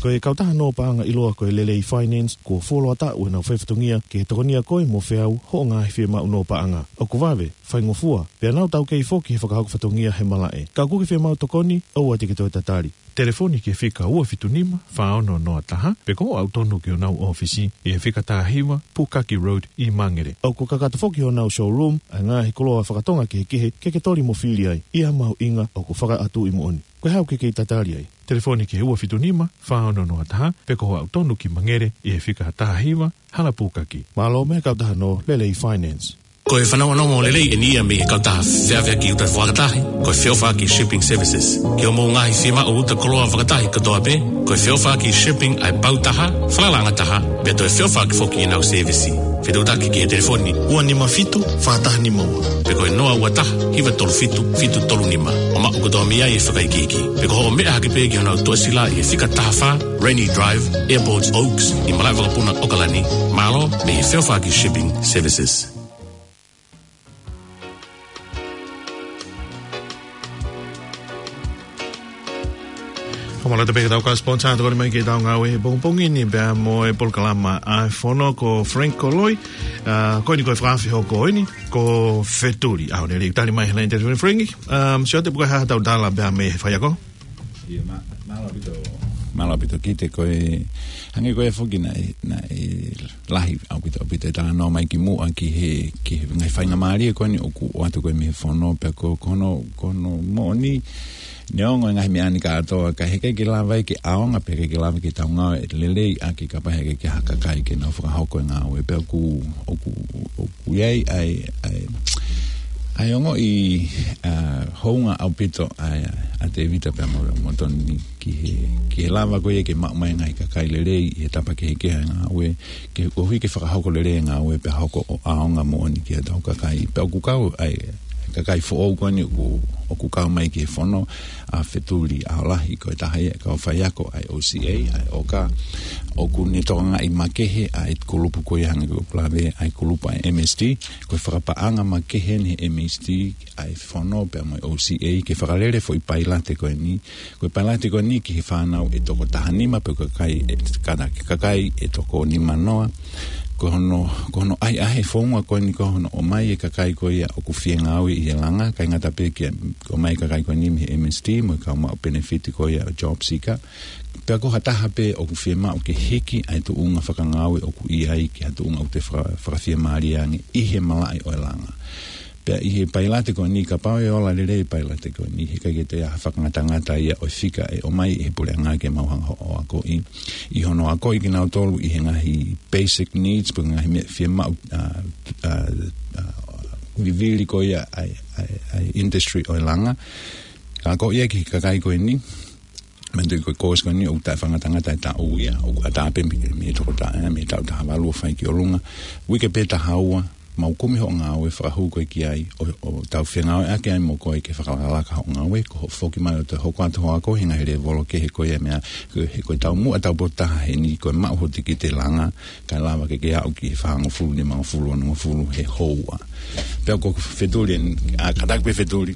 Ko e kautaha nō paʻanga ʻiloa ko e Lelei Finance, kuo fuoloa taʻu ʻenau faifatongia ke tokonia koe mo feau hoʻo ngaahi fiemaʻu nō paʻanga. ʻOku vave, faingofua, pea nau taukei foki he fakahoko fatongia he malaʻe. Ka ʻoku ke fiemaʻu tokoni, ʻoua te ke toe tatali. Telefoni ki he fika ua fitu nima, fā ono noa taha, pe ko hoʻo aʻu tonu ki honau ʻōfisi, ʻi he fika taha hiva, Pukaki Road, ʻi Mangere. ʻOku kakato foki honau showroom ʻa e ngaahi koloa fakatonga kehekehe ke ke toli mo fili ai, ʻi ha mahuʻinga ʻoku fakaʻatuʻi moʻoni. Ko e hā ʻoku ke kei tatali ai? Telefoni ki he ua fitu nima, fā ono noa taha, pe ko hoʻo aʻu tonu ki Mangere, ʻi he fika taha hiva, Hala Pukaki. Mālō mei he kautaha nō Lelei Finance. Ko e fanongonongo lelei eni ia mei he kautaha feʻaveʻaki uta fakatahi, ko e Feʻofaʻaki Shipping Services. Ki hoʻomou ngaahi fiemaʻu uta koloa fakatahi kotoa pē, ko e Feʻofaʻaki Shipping ʻa e pau taha, falalaʻanga taha, pea toe feʻofaʻaki foki ʻenau sēvisi. Fetuʻutaki ki he telefoni ua nima fitu, fā taha nima ua, pe ko e noa ua taha, hiva tolu fitu, fitu tolu nima, ʻo maʻu kotoa mei ai e fakaikiiki. Pe ko hoʻo meʻa hake pē ki honau tuʻasila ʻi he fika taha fā, Rainy Drive, Airport Oaks, ʻi Malaʻevakapuna, ʻAokalani. Mālō mei he Feʻofaʻaki Shipping Services. Fakamālō atu pē ki heʻetau kau sponsor, tokoni mai ki heʻetau ngāue he pongipongi ni pea mo e polokalama ʻa e fono ko Frank Koloi, ā, ko eni ko e fakafehoko eni, ko Fetuli ʻAhonelei. Tali mai he laine telefoni Frank, um, sio atu pe ko e hā haʻatau tala pea mei he faiako. ʻIo, mā-, mālō ʻaupito. Mālō ʻaupito Kite, ko e, hangē ko ia foki naʻe, naʻe lahi ʻaupito, ʻaupito e talanoa mai kimuʻa ki he, ki he ngaahi faingamālie ko eni ʻoku ʻoatu ko ē mei he fono, pea ko, ko hono, ko hono moʻoni, neongo e ngaahi meʻa ni kātoa, ka heʻikai ke lava ia ke ʻaonga, pea heʻikai ke lava ke tau ngāueʻaki lelei ʻaki kapau heʻikai ke ʻi ai ha kakai ke nau fakahoko e ngāue, pea ʻoku, ʻoku, ʻoku ʻi ai, ʻa e, ʻa e, ʻa e ongoʻi, ā, hounga ʻaupito ʻa, ʻa Tevita pea mo, mo Toni ki he, ki he lava ko ia ke maʻu mai e ngaahi kakai lelei ʻi he tapa kehekehe e ngāue, ke koeʻuhi ke fakahoko lelei e ngāue pea hoko ʻo ʻaonga moʻoni ki heʻetau kakai. Pea ʻoku kau ai e kakai foʻou ko eni ʻoku, ʻoku kau mai ki he fono, ʻa Fetuli ʻAholahi, ko e taha ia e kau faiako ʻa e O C A, ʻa e ʻOKA, ʻoku ne tokangaʻi makehe ʻa e kulupu ko ia hangē ko ʻeku lave, ʻa e kulupu ʻa e M S T, ko e fakapaʻanga makehe eni he M S T, ʻa e fono pea mo e O C A, ke fakalele foʻi pailate ko eni, ko e pailate ko eni ki he fānau ʻe toko taha nima pe ko e kakai ʻe, kātaki kakai ʻe toko nima noa. Ko hono, ko hono ʻahiʻahi e founga ko eni ko hono ʻomai e kakai ko ia ʻoku fie ngāue ʻi he langa, ʻikai ngata pē ki he ʻomai e kakai ko eni mei he M S T mo e kau maʻu penefiti ko ia ʻo e job seeker. Pea ko ha taha pē ʻoku fiemaʻu ke hiki ʻa e tuʻunga fakangāue ʻoku ʻi ai ki ha tuʻunga ʻoku toe faka-, fakafiemālie ange ʻi he malaʻe ʻo e langa. Pea ʻi he pailate ko eni, kapau ʻe ola lelei e pailate ko eni, heʻikai ke toe ʻi ai ha fakangatangata ia ʻo e fika ʻe ʻomai ʻe he puleʻanga ke mau hanga ʻo akoʻi. ʻI hono akoʻi kinautolu ʻi he ngaahi basic needs, pe ngaahi meʻa fiemaʻu, ā, ā, ā, vivili ko ia ʻa e, ʻa e, ʻa e industry ʻo e langa. Ka akoʻi ia ki he kakai ko eni, Mei he ko e kosi ko eni ʻoku taʻefakangatangata e taʻu ia, ʻoku ʻatā pē mei, mei he toko taha, mei he taʻu taha valu ʻo fai ki ʻolunga. Uike pē taha ua, mau kumi hoʻo ngāue fakahū koe ki ai, ʻo, ʻo tau fengāueʻaki ai mo koe ke fakalakalaka hoʻo ngāue, ko hoʻo foki mai ʻo toe hoko atu hoʻo ako, he ngaahi lēvolo kehe ko ia meʻa, he ko e taumuʻa taupotu taha heni, ko e maʻu hoʻo tikite langa, kae lava ke ke aʻu ki he fāngofulu, nimangofulu, onongofulu, he houa. Pea ko Fetuli, ʻa, kātaki pē Fetuli.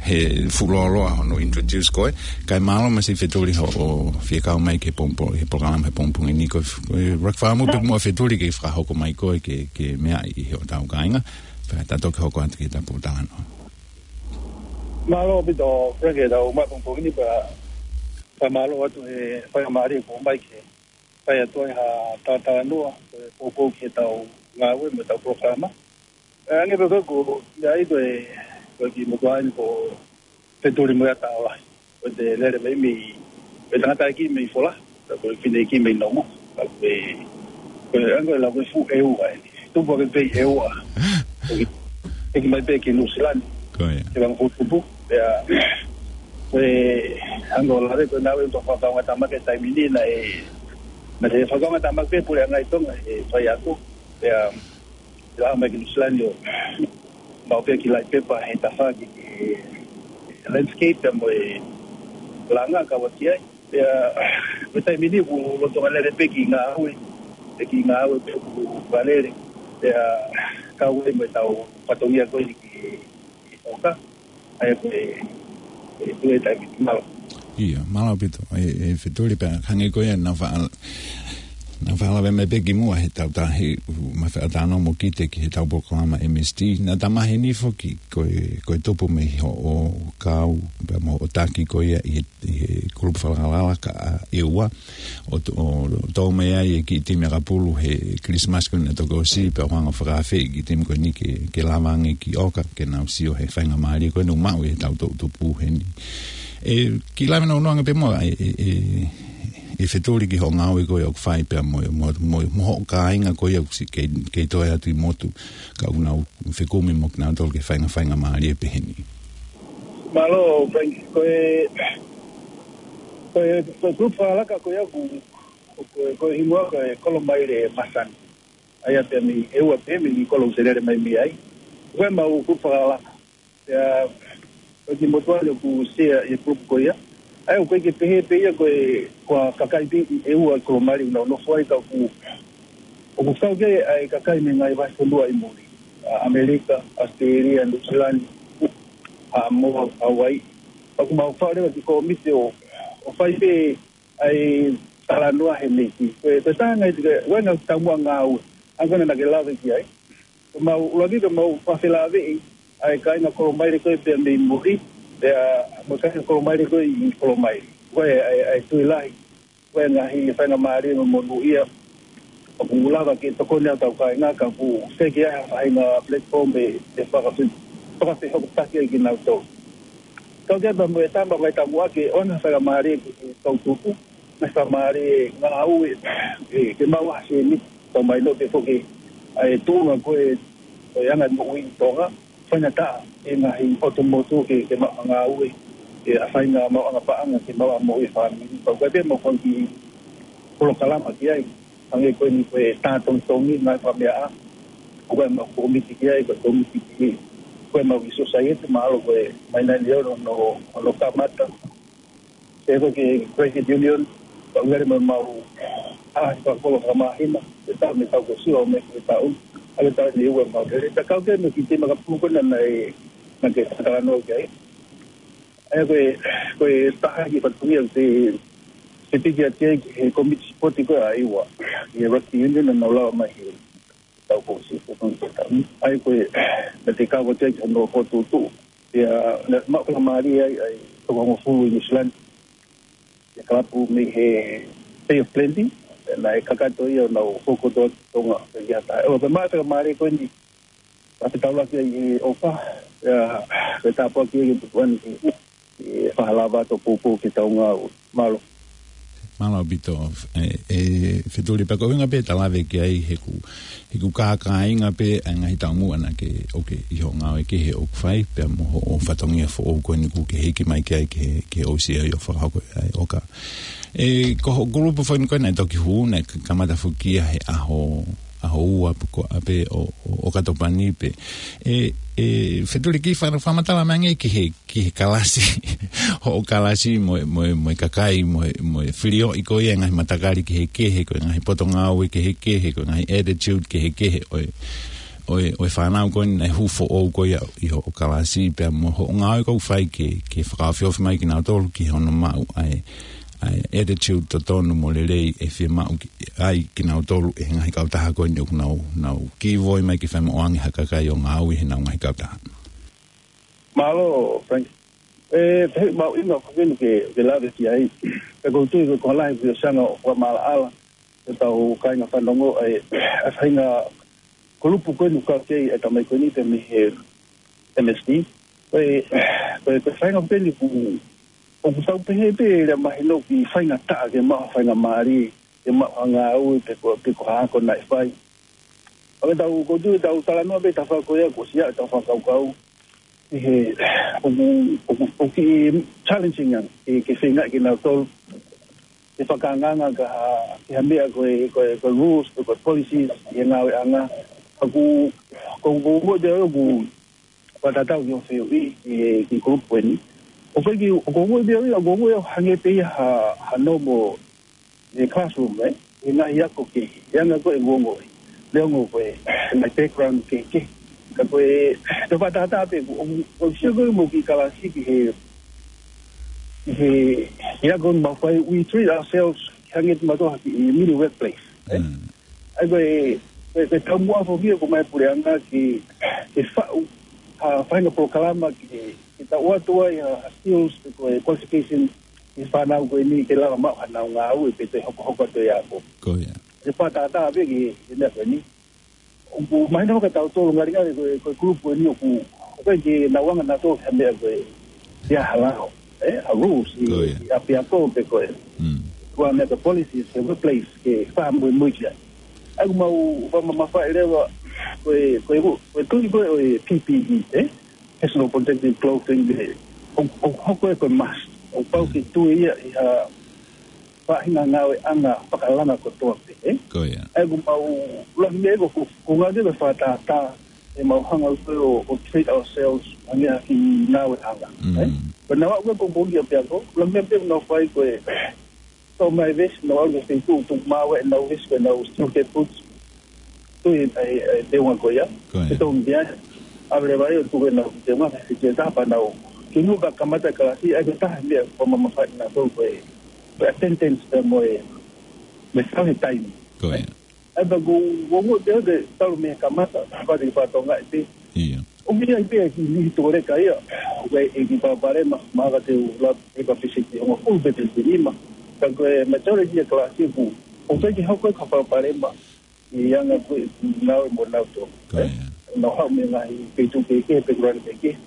He fuʻu lōloa hono introduce koe. Kae mālō masiʻi Fetuli hoʻo fie kau mai ki he pongipongi, he polokalama he pongipongi ni ko e, ko e ʻuluaki fakaʻamu pē muʻa Fetuli ke fakahoko mai koe ke, ke meʻa ʻi he ʻo tau kāinga. Pea tā toki hoko atu ki he tapu talanoa. Mālō ʻaupito, Frank, he tau mai pongipongi ni pea, pea mālō atu he faingamālie kuo mai ke fai atu ai ha talatalanoa, ko e poupou ki he tau ngāue mo e tau polokalama. ʻE, hangē pē ko ē ko ia ai ko e, ko e kiʻi motuʻa ni ko Fetuli Moeataola. Ko e te lele mai mei, ko e tangataʻeiki mei Fola, ka ko e fineʻeiki mei Nauma. Ka ko e, ko e anga la ko e fuʻu ʻEua ē. Tupu ake pē ʻi ʻEua. Ko e, ʻEiki mai pē ki Nuʻusila ni. Ko ia. Ke vanga fuʻu tupu. Pea, ko e anga la ko e naʻe ʻi ai e fakaʻaongaʻi tāmaki he taimi ni naʻe, naʻe fakaʻaongaʻi tāmaki pē puleʻanga ʻi Tonga, ʻe fai ako. Pea, ʻi he ʻalu mai ki Nuʻusila ni ʻo maʻu pē kiʻi laʻi pepa he tafaʻaki ki he landscape pea mo e langa kau atu ki ai. Pea, ko e taimi ni ʻoku lolotonga lele pē kiʻi ngāue, pē kiʻi ngāue pē ʻoku fakalele. Pea, kau ai mo e tau fatongia ko eni ki, ki ʻOka. ʻA ia ko e, ko e, ko e taimi ni mālō. Ia, mālō ʻaupito. ʻE, ʻe Fetuli pea hangē ko ia naʻa fa-, naʻa fakalave mai pē kimuʻa he tau tā he, ma fa-, talanoa mo Kite ki he tau polokalama M S T. Naʻa ta maheni foki ko e, ko e tupu mei hoʻo kau, pea mo hoʻo taki ko ia ʻi he, ʻi he kulupu fakalakalaka ʻa ʻEua. ʻO to-, ʻo tō mai ai e kiʻi timi ʻakapulu he Christmas ko eni naʻe toki ʻosi, pea ʻoku hanga ʻo fakaafeʻi e kiʻi timi ko eni ke, ke lava ange ki ʻOka, ke nau sio he faingamālie ko eni ʻoku maʻu ʻe he tau toʻutupu heni. ʻE, kiʻi lave nounou ange pē muʻa, ʻe, ʻe, ʻe, ʻe Fetuli ki hoʻo ngāue ko ē ʻoku fai pea mo, mo, mo, mo hoʻo kāinga ko ia ʻoku siʻi kei, kei toe atu ʻi motu, ka ʻoku nau fekumi mo kinautolu ki he fainga, faingamālie pehē ni. Mālō, Frank, ko e, ko e, ko e kulupu fakalakalaka ko ia ʻoku, ko e, ko e hingoa ko e Kolomaile Masani. ʻA ia pea mei ʻEua pē mei he kolo ʻoku se lele mai mei ai. Ko e mau kulupu fakalakalaka. Pea, ko e kiʻi motuʻa ni ʻoku sea ʻi he kulupu ko ia. ʻA ia ʻoku ʻikai ke pehē pē ia ko e, ko e kakai pē ʻi ʻEua ʻi Kolomaile ʻoku nau nofo ai ka ʻoku, ʻoku kau ki ai ʻa e kakai mei he ngaahi vahefonua ʻi muli. ʻA ʻAmelika, ʻAositelēlia, Nuʻusila ni, ʻa Haʻamoa, Hauaiʻi. ʻOku mau fai leva e kiʻi kōmiti ʻo, ʻo fai pē ʻa e talanoa he meʻa ko ē. Ko e, ko e taha e ngaahi, ko e, ko e ngaahi taumuʻa ngāue. Hangē ko ia naʻa ke lave ki ai. Ko e mau, ʻuluaki ko e mau fakafelaveʻi ʻa e kāinga Kolomaile ko ē pea mei muli, pea mo e kāinga Kolomaile ko ē ʻi Kolomaile. Ko e, ʻa e, ʻa e tui lahi. Ko e ngaahi faingamālie mo e monūʻia ʻoku lava ke tokoni ʻa e tau kāinga ka ʻoku ʻikai ke ʻi ai ha faʻahinga platform ʻe, ʻe fakafe-, fakafehokotaki ai kinautolu. Kau ki ai pea mo e tama ʻoku ʻi ai e taumuʻa ke ʻoange ha faingamālie ki he toʻutupu, mo e faingamālie ngāue, ʻe, ke maʻu ha sēniti, tau mai note foki ʻa e tuʻunga ko ē ʻo e anga moʻui ʻi Tonga, faingataʻa e ngaahi ʻotu motu ke, ke maʻu ha ngāue, ʻe, ʻa e faʻahinga maʻuʻanga paʻanga ke maʻu ha moʻui e fāmili. Pea ʻoku ʻi ai pē mo e kiʻi polokalama ki ai, hangē ko eni ko e tā tongitongi ngaahi fakameaʻa, ʻoku ʻi ai mo e kōmiti ki ai, ko e kōmiti ki, ko e mau kiʻi sōsaieti, mahalo ko e mai nai ni hono, hono, hono kamata. Pea ko e credit union, pea ʻoku ʻi ai mo e mau, ʻa, fakakolo fakamāhina, he taʻu mei he taʻu kuo ʻosi ʻo aʻu mai ki he taʻu, ʻa e taʻu ni ʻoku mau lele. Pea kau ki ai mo e kiʻi timi ʻakapulu ko ena naʻe, naʻa ke talanoa ki ai. ʻA ia ko e, ko e taha e kiʻi fatongia ʻoku te, te piki atu ai ki he kōmiti sipoti ko ē ʻa ʻEua, ʻi he rugby union naʻa nau lava mai he taʻu kuo ʻosi, ko e taʻu ni. ʻA ia ko e, naʻa te kau atu ai ki hono fokotuʻutuʻu. Pea, naʻe maʻu faingamālie ai, ʻa e toko hongofulu ʻi Nuʻusila ni. ʻI he kalapu mei he Bay of Plenty, naʻe kakato ia ʻo nau fokotuʻu atu ki Tonga, pea ki ʻAta. ʻO, pea maʻu faingamālie ko eni, ʻa e taulaki ai ʻi ʻOka, ʻa, pea tāpuaki ai ki he tupuani ki, ki he fakalava atu ʻo poupou ki he tau ngāue. Mālō. Mālō ʻaupito, ē, ē, Fetuli, pea ko e ʻuhinga pē ʻeta lave ki ai he ʻoku, he ʻoku kākāinga pē ʻa e ngaahi taumuʻa naʻa ke ʻoke ʻi hoʻo ngāue kehe ʻoku fai, pea mo hoʻo fatongia foʻou ko eni ʻoku ke hiki mai ki ai ki he, ki he O C A ʻo fakahoko ai ʻo ka. Ē, ko hoʻo kulupu foʻi ko ē naʻe toki hū, naʻe kamata foki ia he ʻaho, ʻaho ua pe ko ē pē ʻo, ʻo, ʻo ʻOkatopa ni pē. Ē, ē, Fetuli, kiʻi fa-, fakamatala mai ange ki he ki he kalasi, hoʻo kalasi mo e, mo e, mo e kakai, mo e, mo e filioʻi ko ia e ngaahi matakali kehekehe, ko e ngaahi potungāue kehekehe, ko e ngaahi attitude kehekehe ʻo e, ʻo e, ʻo e fānau ko eni naʻe hū foʻou ko ia ʻi hoʻo kalasi, pea mo hoʻo ngāue ʻoku fai ke, ke fakaofiofi mai kinautolu ki hono maʻu ʻa e, ʻa e attitude totonu mo lelei ʻe fiemaʻu ki, ai kinautolu ʻe he ngaahi kautaha ko eni ʻoku nau, nau kei ʻi ai mai ke fai mo ʻoange ha kakai ʻo ngāue he ʻenau ngaahi kautaha. Mālō, Frank. Ē, pehē ʻoku mahuʻinga ko eni ke, ke lave ki ai. Pea ʻoku ou tui ko e lahi pē ʻo e sianga ʻo fakamaʻalaʻala ʻetau kāinga fanongo, ʻa e, ʻa e faʻahinga kulupu ko eni ʻoku kau ki ai e tamai ko eni pē mei he M S D. Ko e, ko e, ko e faʻahinga ko eni ʻoku, ʻoku tau pehē pē lea mahino ki he faingataʻa ke maʻu ha faingamālie, ke maʻu ha ngāue pe ko, pe ko ha ako naʻe fai. ʻA ia ʻoku ou tui ʻetau talanoa pē he tafaʻaki ko ia kuo ʻosi ʻi ai ʻetau fakakaukau. ʻI he, ʻoku, ʻoku, ʻoku kiʻi challenging ange, ke, ke feinga kinautolu ke fakaangaanga ki ha, ki ha meʻa ko e, ko e, ko e rules, ko e, ko e policies, ʻi he ngāueʻanga. Ka ʻoku, ʻoku, ʻoku, ʻoku, ʻoku, ʻoku fakatatau ki hoʻo fehuʻi, ki he, ki he kulupu eni. ʻOku ʻikai ke, ʻoku, ʻoku, ʻoku, ʻoku, ʻoku, ʻoku hangē pē ia ha, ha normal ʻi he classroom, ē? ʻI he ngaahi ako kehe, ʻi he anga ko ē ʻoku ongoʻi. Neongo ko e, my background kehekehe. Ka ko e, te u fakatātā pē, ʻoku, ʻoku, ʻoku sio ko ē mo e kiʻi kalasi ki he, ki he, ki he ako ʻoku mau fai, we treat ourselves, hangē pē kimautolu ha kiʻi mini workplace, ē? Mm. ʻA ia ko e, ko e, ko e taumuʻa foki ʻoku ʻomai ʻe he puleʻanga ke, ke faʻu ha faʻahinga polokalama ke, ke tau ʻoatu ai ha, ha skills pe ko e qualification ki he fānau ko eni ke lava maʻu haʻanau ngāue pe toe hokohoko atu e ako. Ko ia. Te u fakatātā pē ki he, ki he meʻa ko eni. ʻOku mahino kia tautolu ngalingali ko e, ko e kulupu eni ʻoku, ʻoku ʻikai ke nau anga nautolu ki ha meʻa ko e, ia ha lao, ē, ha rules ʻi, ko ia, ʻi ʻapiako pe ko e, mm, ko ha meʻa ko e policies ki he workplace ke fakamuimui ki ai. ʻA ia ʻoku mau fakamamafaʻi leva ko e, ko e, ko e tui ko ē ʻo e P P E, ē? Personal protective clothing, ē, ʻoku, ʻoku hoko ia ko e must. ʻOku pau ke tui ia ʻi ha faʻahinga ngāueʻanga fakalanga kotoa pē, ē? Ko ia. ʻA ia ʻoku mau, ʻuluaki meʻa ʻoku, ʻoku ngāueʻaki ko e fakatātā, ʻe mau hanga ʻo, ʻo treat ourselves, hangē ha kiʻi ngāueʻanga, ē? Mm. Ko ʻenau aʻu ko ē ko ē ki ʻapiako, ʻuluaki meʻa pē ʻoku nau fai ko e, toʻo mai e vesi, nau ʻalu ki he feituʻu, tuku maʻu ʻenau vesi, ko ʻenau steel cap boots. Tuʻu ʻi he, ʻi he, ʻi he teunga ko ia. Ko ia. Ke tau mea, ʻave leva ʻo tuku ʻenau teunga, ke fiti e tapa nau. Ke nau ka kamata e kalasi, ʻa ia ko e taha e meʻa ʻoku fakamamafaʻi nautolu ko e, ko e attendance pea mo e, mo e tauhi e taimi. Ko ia. ʻA ia pea ʻoku, ʻoku, ʻoku te, te talu mei he kamata, pea te fatongia pē. Ia. ʻOku ʻi ai pē e kiʻi niʻihi tōleka ia, ʻoku ʻi ai e kiʻi palopalema, mahalo te u lava ʻe ka fisiti hongofulu pe fisiti nima. Ka ko e majority e kalasi ʻoku, ʻoku ʻikai ke hoko ha palopalema, ʻi he anga ko ē ʻenau ngāue mo nautolu. Ko ia. Nau haʻu mei he ngaahi feituʻu kehekehe, pe ko e lanu kehekehe.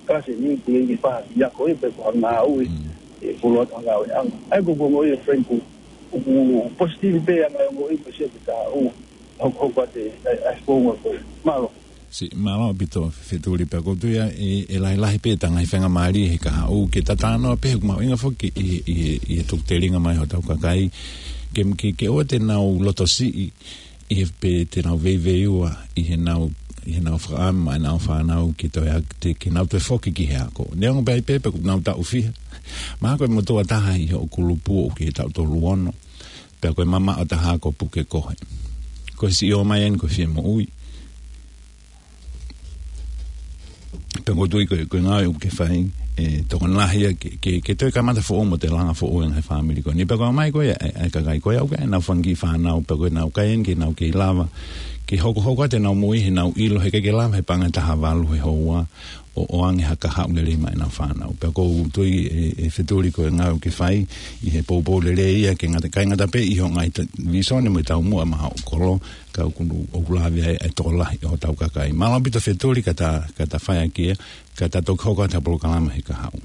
Kalasi ni, te ke fai ha kiʻi ako ia pe ko ha ngāue, mm, ʻe fuoloa atu ha ngāueʻanga. ʻA ia ʻoku ou ongoʻi, Frank, ʻoku, ʻoku positive pē ʻa e ngaahi ongoʻi mo e sio ki he kahaʻu, hokohoko atu e, e, e founga ko ē. Mālō. Siʻi, mālō ʻaupito Fetuli, pea ʻoku ou tui ʻe, ʻe lahilahi pē ʻeta ngaahi faingamālie he kahaʻu ke ta talanoa pē he ʻoku mahuʻinga foki ʻi, ʻi, ʻi he tuku telinga mai hotau kakai ke, ke, ke ʻoua te nau lotosiʻi ʻi he pē te nau veiveiua ʻi heʻenau, ʻi heʻenau fakaʻamu ʻenau fānau ke toe ak-, te, ke nau toe foki ki he ako. Neongo pē ʻi ai pē pe ʻoku nau taʻu fiha. Mahalo ko e motuʻa taha ʻi hoʻo kulupu ʻoku ʻi he taʻu tolu ono. Pea ko e mamaʻo taha ko Pukekohe. Ko e siʻi ō mai eni ko e fie moʻui. Pea ʻoku ou tui ko e, ko e ngāue ʻoku ke fai, ʻe tokoni lahi ia ke, ke, ke toe kamata foʻou mo toe langa foʻou e ngaahi fāmili ko eni. Pea ko e ʻomai ko ē ʻa e, ʻa e kakai ko ē ʻoku ʻi ai ʻenau fanga kiʻi fānau, pea ko ʻenau kai eni ke nau kei lava ke hokohoko atu ʻenau moʻui heʻenau ʻilo he ʻikai ke lava he paʻanga ʻe taha valu he houa ʻo, ʻo ʻoange ha kahaʻu lelei maʻa ʻenau fānau. Pea ʻoku ou tui ʻe, ʻe Fetuli ko e ngāue ʻoku ke fai ʻi he poupou lelei ia ke ngata, ʻikai ngata pē ʻi hoʻo ngaahi ta-, visone mo e taumuʻa maʻa hoʻo kolo, ka ʻoku, ʻoku lave ai e tokolahi ʻo hotau kakai. Mālō ʻaupito Fetuli ka ta, ka ta fai ʻaki ia, ka ta toki hoko atu ha polokalama he kahaʻu.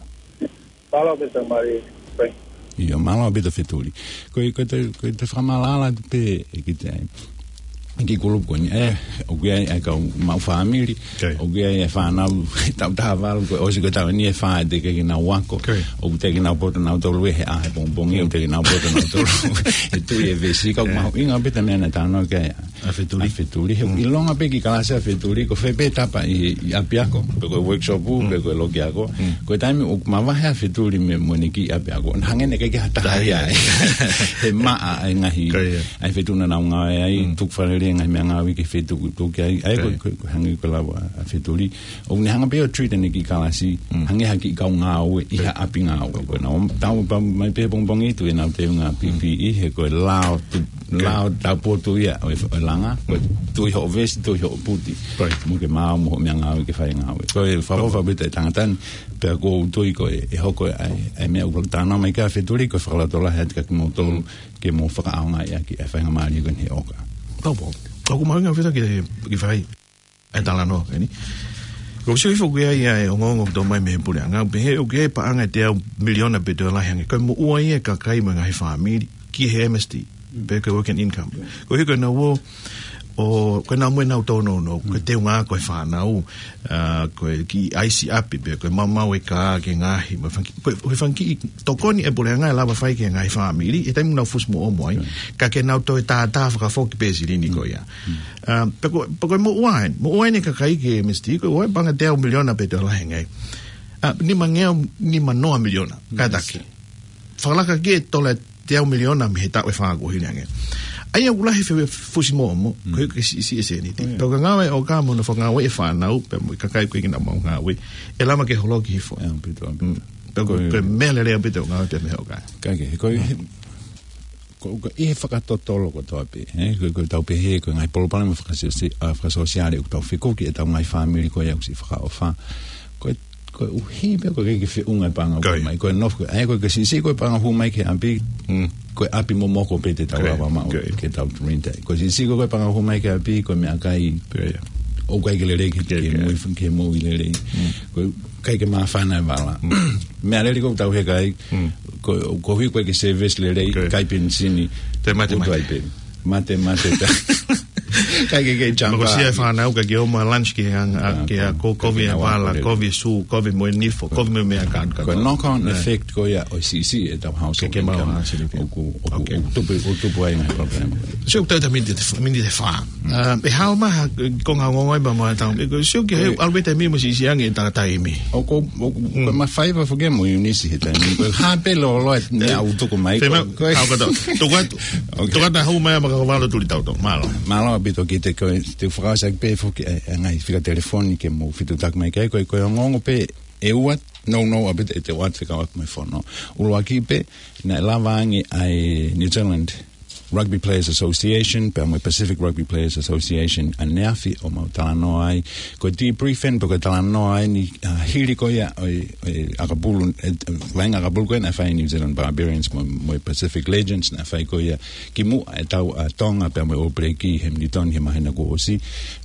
Mālō ʻaupito Mari, Frank. ʻIo, mālō ʻaupito Fetuli. Ko e, ko e toe, ko e toe fakamaʻalaʻala pē ʻe kiʻi te ai. Ki he kulupu ko eni, ē, ʻoku ʻi ai e kau maʻu fāmili, ʻoku ʻi ai e fānau, taʻu taha valu, kuo ʻosi ko e taʻu ni ʻe fā ʻe teʻeki ke nau ako, ʻoku teʻeki ke nau poto nautolu he ʻaho pongipongi, ʻoku teʻeki ke nau poto nautolu he tui e vesi, ka ʻoku mahuʻinga pē ʻa e meʻa naʻe talanoa ki ai ʻa Fetuli. ʻA Fetuli. He ʻilonga pē kiʻi kalasi ʻa Fetuli, ko fē pē tapa ʻi, ʻi ʻapiako, pe ko e workshop, pe ko e loki ako. Ko e taimi ʻoku mavahe ʻa Fetuli mei, mo ʻene kiʻi ʻapiako, naʻe hangē naʻe ʻikai ke ha taha ia ai. He maʻa ʻa e ngaahi, ʻa e feituʻu naʻa nau ngāue ai, tukufakaholo e ngaahi meʻangāue ki he feituʻu ʻoku tuʻu ki ai. ʻA ia ko, ko, ko e hangē ko e lava ʻa Fetuli. ʻOku ne hanga pē ʻo treat ʻene kiʻi kalasi, hangē ha kiʻi kau ngāue ʻi ha ʻapi ngāue. Ko ʻenau tau pau mai pē pongipongi ʻi tuʻa ʻenau teunga P P E, he ko e lao tu, lao taupotu ia ʻo e, ʻo e langa, ko e tui hoʻo vesi, tui hoʻo puti. Mo ke maʻu mo hoʻo meʻangāue ke fai ngāue. Ko e fakaʻofoʻofa pē ʻa e tangata ni, pea ʻoku ou tui ko e, ʻe hoko ai, ʻa e meʻa ʻoku talanoa mai ki ai ʻa Fetuli, ko e fakalotolahi atu kia kimoutolu, ke mou fakaʻaongaʻi ʻaki ʻa e faingamālie ko eni he ʻoka. Pau pau. ʻOku mahuʻinga ʻaupito ke, ke fai ʻa e talanoa ko eni. Ko e sio hifo ki ai ʻa e ongoongo ʻoku tō mai mei he puleʻanga, pehē ʻoku ʻi ai e paʻanga ʻe teau miliona pe toe lahi ange. Ko e moʻua ia ʻa e kakai mo e ngaahi fāmili ki he M S T, pe ko e working income. Ko e hiko ʻenau ō, ʻo, ko ʻenau mo ʻenau tōnounou, ko e teunga ako e fānau, ʻa, ko e kiʻi ʻaisi ʻapi pe, ko e maumau e kā ke ngaahi, mo e fanga kiʻi, ko e, ko e fanga kiʻi tokoni ʻa e puleʻanga ʻe lava fai ki he ngaahi fāmili, he taimi ʻoku nau fusi moʻomo ai, ka ke nau toe tātā fakafoki pē silini ko ia. ʻA, pe ko, pe ko e moʻua eni, moʻua eni e kakai ki he M S T, ko e ʻi ai e paʻanga ʻe teau miliona pe toe lahi ange. ʻA, nima ngeau, nima noa miliona, kātaki. Fakalaka ki he tola ʻe teau miliona mei he taʻu ʻe fā kuo hili ange. ʻA ia ʻoku lahi e fe-, fusi moʻomo, ko e, ko e siʻisiʻi e sēniti. Pea ko e ngāue ʻa e ʻoka mo hono fakangāueʻi e fānau, pea mo e kakai ʻoku ʻikai ke nau maʻu ngāue, ʻe lava ke holoki hifo. Pe ko, ko e meʻa lelei ʻaupito ʻa e ngāue pē mei he ʻoka. Ka ke, ko e, ko, ko e fakatotolo kotoa pē, ē? Ko, ko ʻetau pehē, ko e ngaahi palopalema fakasōsia-, ʻa, fakasōsiale ʻoku tau fekuki ʻetau ngaahi fāmili ko ia ʻoku siʻi fakaʻofa. Ko e, koeʻuhi pē ʻoku ʻikai ke feʻunga e paʻanga ʻoku hū mai. Ko e nofo, ʻa ia ko e siʻisiʻi ko e paʻanga ʻoku hū mai ki he ʻapi, ko e ʻapi momoko pē te tau lava maʻu ke tau rent ai. Ko e siʻisiʻi ko e paʻanga ʻoku hū mai ki he ʻapi, ko e meʻakai ʻoku ʻikai ke lelei ke, ke moʻui, ke moʻui lelei. Ko e ʻikai ke māfana e vala. Meʻa lelei ʻoku tau heka ai, ko, koeʻuhi ʻoku ʻikai ke service lelei, ʻikai penisini, te mate, mate. Mate, mate, ta. ʻIkai ke, ke jump. Ko e siʻi fānau ʻikai ke ō mai lunch ki he anga, ki he ako, kovi e vala, kovi e sū, kovi mo e nifo, kovi mo e meʻa kākā. Ko e knock-on effect ko ia ʻo e siʻisiʻi ʻetau household income. ʻOku, ʻoku, ʻoku tupu, ʻoku tupu ai ngaahi palopalema. So, tau ta miniti, miniti ʻe fā. ʻA, ʻe hao mai ha konga ongoongo ʻi he pā mo e tau. ʻE ko e sio ki he ʻalu pē taimi mo siʻisiʻi ange e taimi. ʻOku, ʻoku, ko e mafai pē foki mo Eunice he taimi. Ko e hā pē loloa e meʻa ʻoku tuku mai. Ko e hao kata. Tuku atu. Tuku atu ʻa e hao mai ʻa Makakavalo Tulitautau. Mālō. Mālō ʻaupito kiate koe, te u fakaʻosi ʻaki pē foki e, e ngaahi fika telefoni ke mou fetuʻutaki mai ki ai. Ko e, ko e ongoongo pē ʻe ua, nounou ʻaupito ʻete ʻoatu fekauʻaki mo e fono. ʻUluaki pē, naʻe lava ange ʻa e New Zealand Rugby Players Association, pea mo e Pacific Rugby Players Association ʻaneafi ʻo mau talanoa ai. Ko e debriefing, pe ko e talanoa eni, ʻa, hili ko ia ʻo e, ʻo e ʻakapulu, e, vaʻinga ʻakapulu ko ē naʻe fai ʻe New Zealand Barbarians mo, mo e Pacific Legends naʻe fai ko ia kimuʻa ʻetau, ʻa, Tonga pea mo e All Black ʻi Hamilton he māhina kuo ʻosi.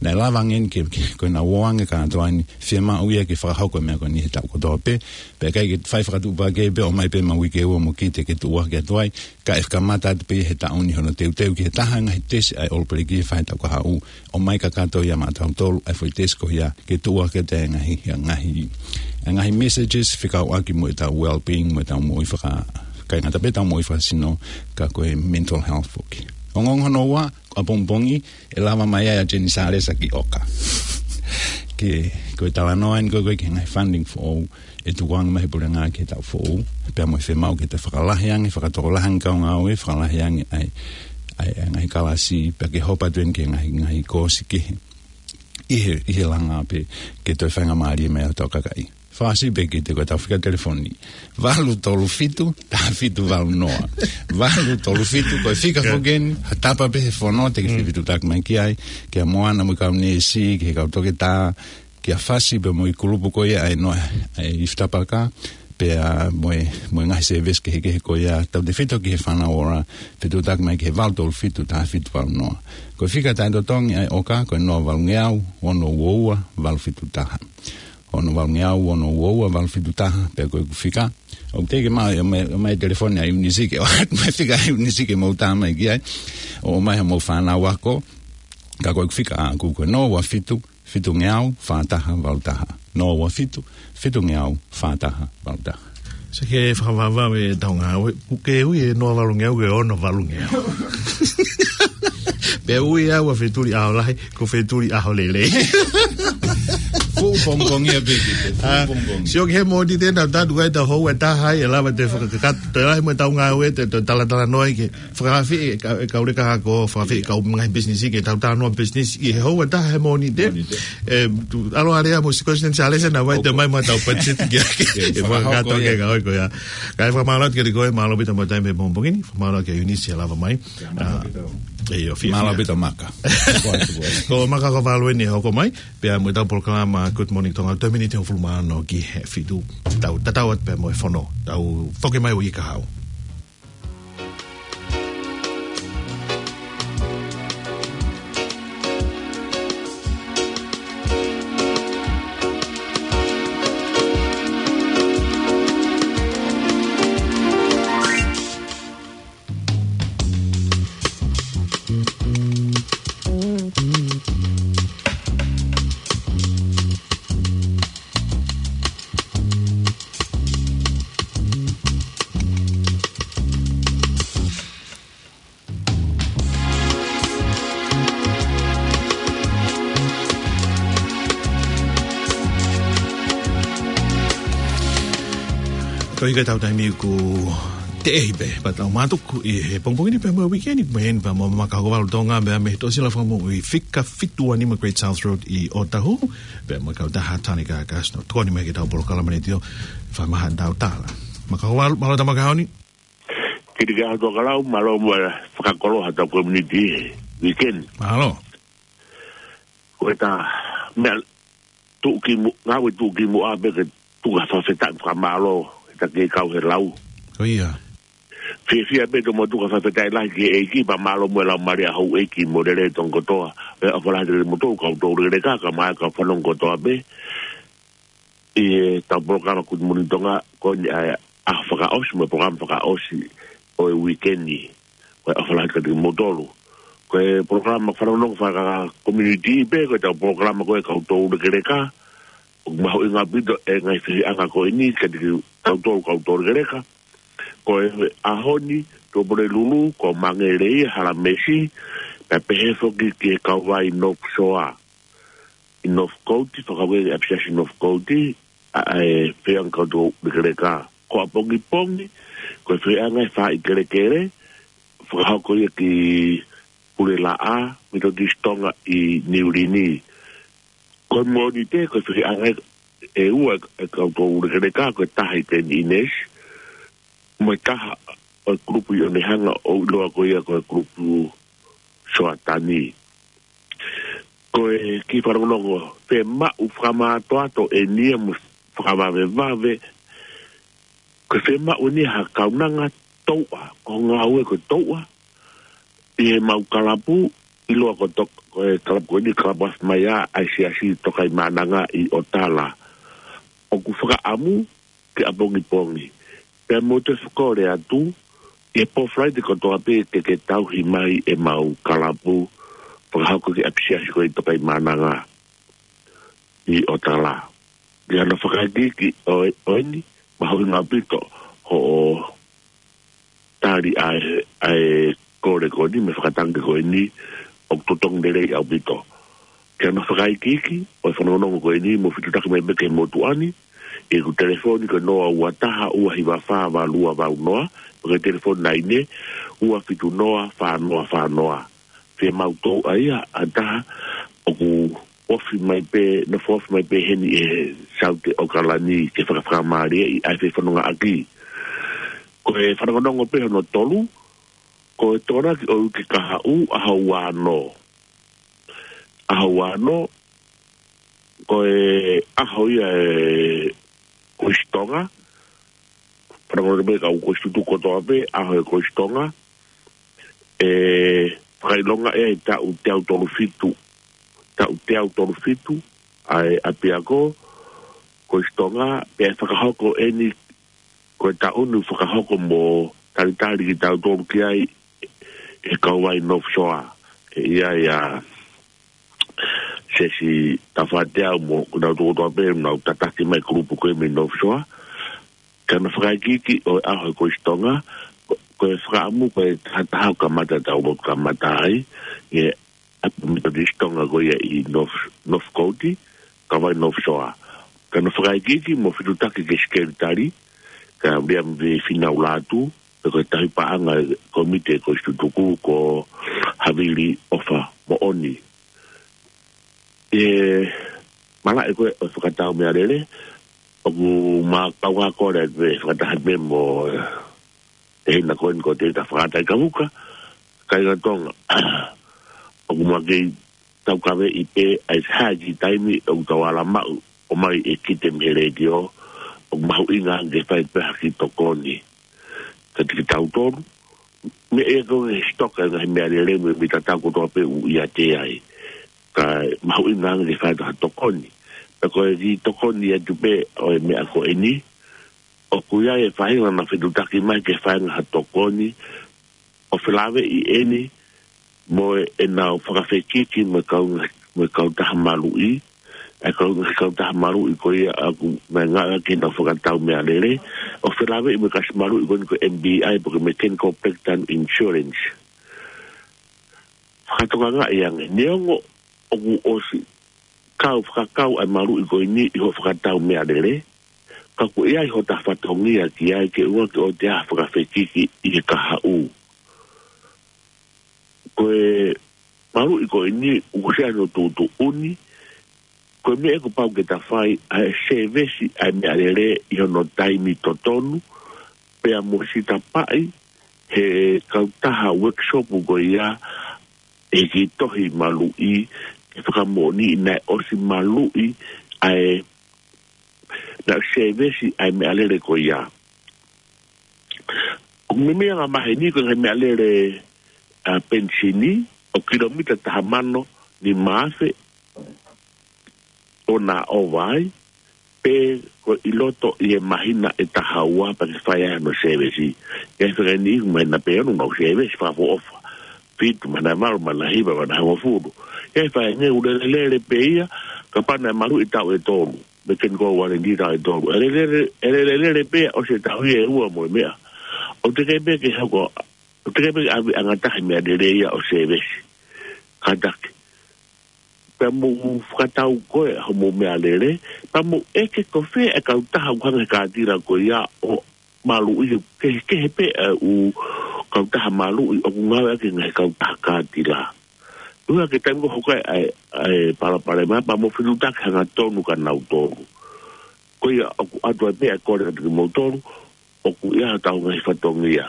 Naʻe lava ange eni ke, ke, ko ʻenau ō ange kātoa eni, fiemaʻu ia ke fakahoko e meʻa ko eni he taʻu kotoa pē, pea ʻikai ke fai fakatuʻupakē pē ʻo ʻomai pē ma uike ua mo kite ke tuʻuaki atu ai, ka ʻe kamata atu pē he taʻu ni hono teuteu ki he taha e ngaahi tesi ʻa e All Black he fai taʻu kahaʻu, ʻomai kakato ia maʻatautolu ʻa e foʻi tesi ko ia ke tuʻuaki atu e ngaahi, e ngaahi, e ngaahi messages fekauʻaki mo ʻetau well-being, mo ʻetau moʻui faka-, ʻikai ngata pē ʻetau moʻui fakasino, ka ko e mental health foki. Ongoongo hono ua, ʻapongipongi, ʻe lava mai ai ʻa Jenny Salesa ki ʻOka. Ke, ko e talanoa eni ko ē ki he ngaahi funding foʻou ʻe tukuange mai he puleʻanga ki he taʻu foʻou, pea mo e fiemaʻu ke toe fakalahi ange, fakatokolahi ange kau ngāue, fakalahi ange ʻa e, ʻa e, ʻa e ngaahi kalasi, pea ke hopo atu eni ki he ngaahi, ngaahi koosi kehe ʻi he, ʻi he langa pē, ke toe faingamālie mai ai hotau kakai. Fakaʻosi pē kiate koe ʻetau fika telefoni. Valu tolu fitu, taha fitu valu noa. Valu tolu fitu, ko e fika foki eni, ha tapa pē he fono te ke fetuʻutaki mai ki ai, kia Moana mo e kau neesi, ki he kau toketā, kia Fasi pea mo e kulupu ko ia ʻa e noa, ʻa e ifi tapaka, pea mo e, mo e ngaahi service kehekehe ko ia, tautefito ki he Fānau Ora, fetuʻutaki mai ki he valu tolu fitu, taha fitu valu noa. Ko e fika taʻetotongi ʻa e ʻOka, ko e noa valu ngeau, ono ua ua, valu fitu taha. Ono valu ngeau, ono ua ua, valu fitu taha, pea ko ʻeku fika, ʻOku teʻeki ke maʻu mai, mai telefoni ʻa Iunisi ke ʻoatu mai fika ʻa Iunisi ke mou tā mai ki ai. ʻOmai haʻamou fānau ako. Ka ko ʻeku fika ʻaʻaku ko e noa ua fitu, fitungeau, fā taha, valu taha. Noa ua fitu, fitungeau, fā taha, valu taha. Sio ki he fakavavevave ʻetau ngāue, ʻoku ke ui e noa valungeau ke ono valungeau. Pea ui au ʻa Fetuli ʻAho Lahi, ko Fetuli ʻAho Lelei. Fuʻu pongipongi ia pē ki te, fuʻu pongipongi. Sio ki he Mōnite, tau tatu ai ʻetau houa ʻe taha ai, ʻe lava ʻo fakakakato, toe lahi mo ʻetau ngāue, toe, toe talatalanoa ai ke fakafeʻiloaki e kau, e kau leka ako, fakafeʻiloaki e kau ngaahi business ke tau talanoa business ʻi he houa ʻe taha he Mōnite. Mōnite. ʻE, tu, ʻalu ʻa Lea mo Sikosi Neni Salesa naʻa nau ʻai mai mo ʻetau budget ke, ke, ke fakakakato ke kau ai ko ia. Kae fakamālō atu kiate koe, mālō ʻaupito mo e taimi he pongipongi ni, fakamālō kia Iunisi ʻa e lava mai. ʻIo, fiefia. Mālō ʻaupito Maka. Ko Maka Kovalu eni ʻe hoko mai, pea mo ʻetau polokalama Good Morning Tonga, toe miniti hongofulu mā ono ki he fitu, tau, tatau atu pea mo e fono, tau foki mai ʻi he kahaʻu. Ko ia ʻetau taimi ʻoku teʻehi pē, pea tau mātuku ʻi he pongipongi ni pea mo e weekend ni, pea mo Maka Kovalu Tonga, pea mei he Tōsila Fakamoʻui fika fitu ua nima Great South Road ʻi Ōtāhuhu, pea mo e kautaha Tani Kakas, ʻo tokoni mai ki heʻetau polokalama ni ʻo fakamaha ʻetau tala. Maka Kovalu, mālō e tau maka ʻaho ni. Kiate koe Tokelau, mālō mo e fakakoloa ʻetau community he weekend. Mālō. Ko ʻeta meʻa tuʻukimuʻa, ngāue tuʻukimuʻa pē ke tuku ha fakafetaʻi fakamālō, ʻeta kei kau he lau. Ko ia. Fiefia pē ke mou tuku ha fakafetaʻi lahi ki he ʻEiki, pea mālō mo e laumālie ʻa houʻeiki mo e lelei ʻo Tonga kotoa. ʻOfa lahi kiate kimoutolu kau toulekeleka, kae ʻumaʻā e kau fanongo kotoa pē ʻi heʻetau polokalama Good Morning Tonga, ko eni ʻa e ʻaho fakaʻosi mo e polokalama fakaʻosi ʻo e weekend ni. Ko e ʻofa lahi kiate kimoutolu. Ko e polokalama fanongonongo faka-community pē, ko ʻetau polokalama ko e kau toulekeleka, ʻoku mahuʻinga ʻaupito e ngaahi fehiʻanga ko eni kiate kitautolu kau toulekeleka. Ko e ʻaho ni, Tuʻapulelulu, ko Mangele ia Halamesi, pea pehē foki ki he kauvai North Shore ʻi Northcote, fakahoko ʻi he ʻapisiasi Northcote, ʻa, ʻa e fehiʻanga kau toulekeleka. Ko ʻapongipongi, ko e fehiʻanga ʻa e faaʻi kelekele, fakahoko ia ki Pulelaʻā, Methodist Tonga ʻi Niulini. Ko e Mōnite, ko e fehiʻanga ʻe ua ʻa e kau toulekeleka, ko e taha ʻi Teni ʻInesi, mo e taha ʻo e kulupu ʻi ʻOnehanga ʻoku ʻiloa ko ia ko e kulupu Soatani. Ko e kiʻi fanongonongo, fiemaʻu fakamātoato eni ia mo fakavavevave, ko e fiemaʻu eni ia ha kaunanga touʻa, ko e ngāue ko e touʻa, ʻi heʻemau kalapu, ʻiloa ko e tok-, ko e kalapu ko eni, kalapu afi mai ʻa e Siasi Tokaimaʻananga ʻi ʻOtala. ʻOku fakaʻamu ke ʻapongipongi. Pea mou toe fakakole atu, ʻi he pō Falaite kotoa pē ke, ke tauhi mai ʻemau kalapu, fakahoko ki he ʻapisiasi ko eni Tokaimaʻananga ʻi ʻOtala. Ki hano fakaikiiki ʻo, ʻo eni, mahuʻinga ʻaupito hoʻo tali ʻa e, ʻa e kole ko eni mo e fakatangi ko eni, ʻoku totongi lelei ʻaupito. Ki hano fakaikiiki ʻo e fanongonongo ko eni, mou fetuʻutaki mai pē ki he motuʻa ni, ʻi heʻeku telefoni ko e noa ua taha ua hiva fā valu ua valu noa, mo e telefoni laine, ua fitu noa fā noa fā noa. Fiemaʻu touʻa ia ʻa e taha ʻoku ofi mai pē, nofo ofi mai pē heni ʻi he Saute ʻAokalani ke fakafakamālieʻi ʻa e fefanongoʻaki. Ko e fanongonongo pē hono tolu, ko e Tokonaki ʻo e uike kahaʻu, ʻaho ua ono. ʻAho ua ono, ko e ʻaho ia ʻo e Kolisi Tonga, fanongonongo pē kau kolisi tutuku kotoa pē, ʻaho ʻo e Kolisi Tonga, ʻe fakaʻilonga ʻe he taʻu teau tolu fitu, taʻu teau tolu fitu, ʻa e ʻapiako, Kolisi Tonga, pea ʻe fakahoko eni ko e taʻu ni ʻoku fakahoko mo talitali kitautolu ki ai ʻe he kauvai North Shore. ʻE ʻi ai ʻa Sesi Tafaʻateau mo kinautolu kotoa pē ʻoku nau tataki mai e kulupu ko ē mei North Shore. Ka naʻe fakaikiiki ʻo e ʻaho ko ē ʻi Tonga, ko, ko e fakaʻamu ko e taha taha ʻo kamata tau lotu kamata ai, ʻi he ʻapi Methodist Tonga ko ia ʻi North, Northcote, kauvai North Shore. Ka naʻe fakaikiiki mo fitutaki ki he sekelitali, ko William V. Finau Lātū, pea ko e tauhi paʻanga ʻo e komiti ko ē ʻi Tutuku ko Havili ʻOfa Moʻoni. ʻI he malaʻe ko ē ʻo e fakatau meʻalele, ʻoku ma kau ʻa kole atu ʻe fakataha pē mo e hina ko eni ko Tēvita Fakataikavuka, kāinga Tonga. ʻOku ma kei taukaveʻi pē ʻa e hā e kiʻi taimi ʻoku tau ala maʻu ʻo mai e kite mei he letiō, ʻoku mahuʻinga ange ke fai pē ha kiʻi tokoni. Ka tiki tautolu, meʻa ia ko e sitoka e ngaahi meʻalele mo e mita tau kotoa pē ʻoku ʻiate ai. Ka mahuʻinga ange ke fai ha tokoni. Pea ko e kiʻi tokoni atu pē ʻo e meʻa ko eni, ʻoku ʻi ai e faʻahinga naʻe fitutaki mai ke fai ha tokoni, ʻo felāveʻi eni, mo e, ʻenau fakafekiki mo e kau, mo e kautaha maluʻi, e kau, kautaha maluʻi ko ia ʻoku ma ngāueʻaki ʻenau fakatau meʻalele, ʻo felāveʻi mo e kasi maluʻi ko eni ko e M B I, pe ko e Mechanical Breakdown Insurance. Fakatokangaʻi ange, neongo ʻoku ʻosi kau fakakau ʻa e maluʻi ko eni ʻi hoʻo fakatau meʻalele, ka ʻoku ʻi ai hota fatongia ki ai ke ʻoua ke ʻoua te ʻa fakafekiki ʻi he kahaʻu. Ko e maluʻi ko eni ʻoku ʻosi ʻi ai hono tuʻutuʻuni, ko e meʻa ʻoku pau ke ta fai ʻa e sēvesi ʻa e meʻalele ʻi hono taimi totonu, pea mo sitapaʻi he kautaha workshop ko ia ʻe he kiʻi tohi maluʻi, ke fakamoʻoniʻi naʻe ʻosi maluʻi ʻa e, naʻe sēvesi ʻa e meʻalele ko ia. ʻOku meimei anga maheni ko e ngaahi meʻalele ʻa e penisini, ʻoku kilomita taha mano nima afe ʻo na ʻova ai, pe ko e ʻi loto ʻi he māhina ʻe taha ua pea ke fai ai hono sēvesi. ʻI ai e faʻahinga ʻoku māhina pē ono nau sēvesi fakaʻofoʻofa. Fitu, māhina ʻe valu, māhina ʻe hiva, māhina ʻe hongofulu. ʻI ai e faʻahinga ʻoku lelelele pē ia, kapau naʻe maluʻi taʻu ʻe tolu, mechanical warranty taʻu ʻe tolu. ʻE lelele, ʻe lelelele pē ia ʻosi e taʻu ʻe ua mo e meʻa. ʻOku teʻeki pē ke hoko, ʻoku teʻeki pē ke ʻave ʻe he ngatahi meʻalele ia ʻo sēvesi. Kātaki. Pea mou fakatau ko ē hoʻomou meʻalele, pea mou ʻeke ko fē e kautaha ʻoku hanga ʻe he kātila ko ia ʻo maluʻi, kehekehe pē ʻa e ʻū kautaha maluʻi ʻoku ngāueʻaki he ngaahi kautaha kātila. ʻUhinga ki he taimi ko ē ʻoku hoko ai ʻa e, ʻa e palopalema, pea mou fitutaki hangatonu kia nautolu. Ko ia ʻoku ʻoatu ai pē ʻa e kole kiate kimoutolu, ʻoku ʻi ai hotau ngaahi fatongia.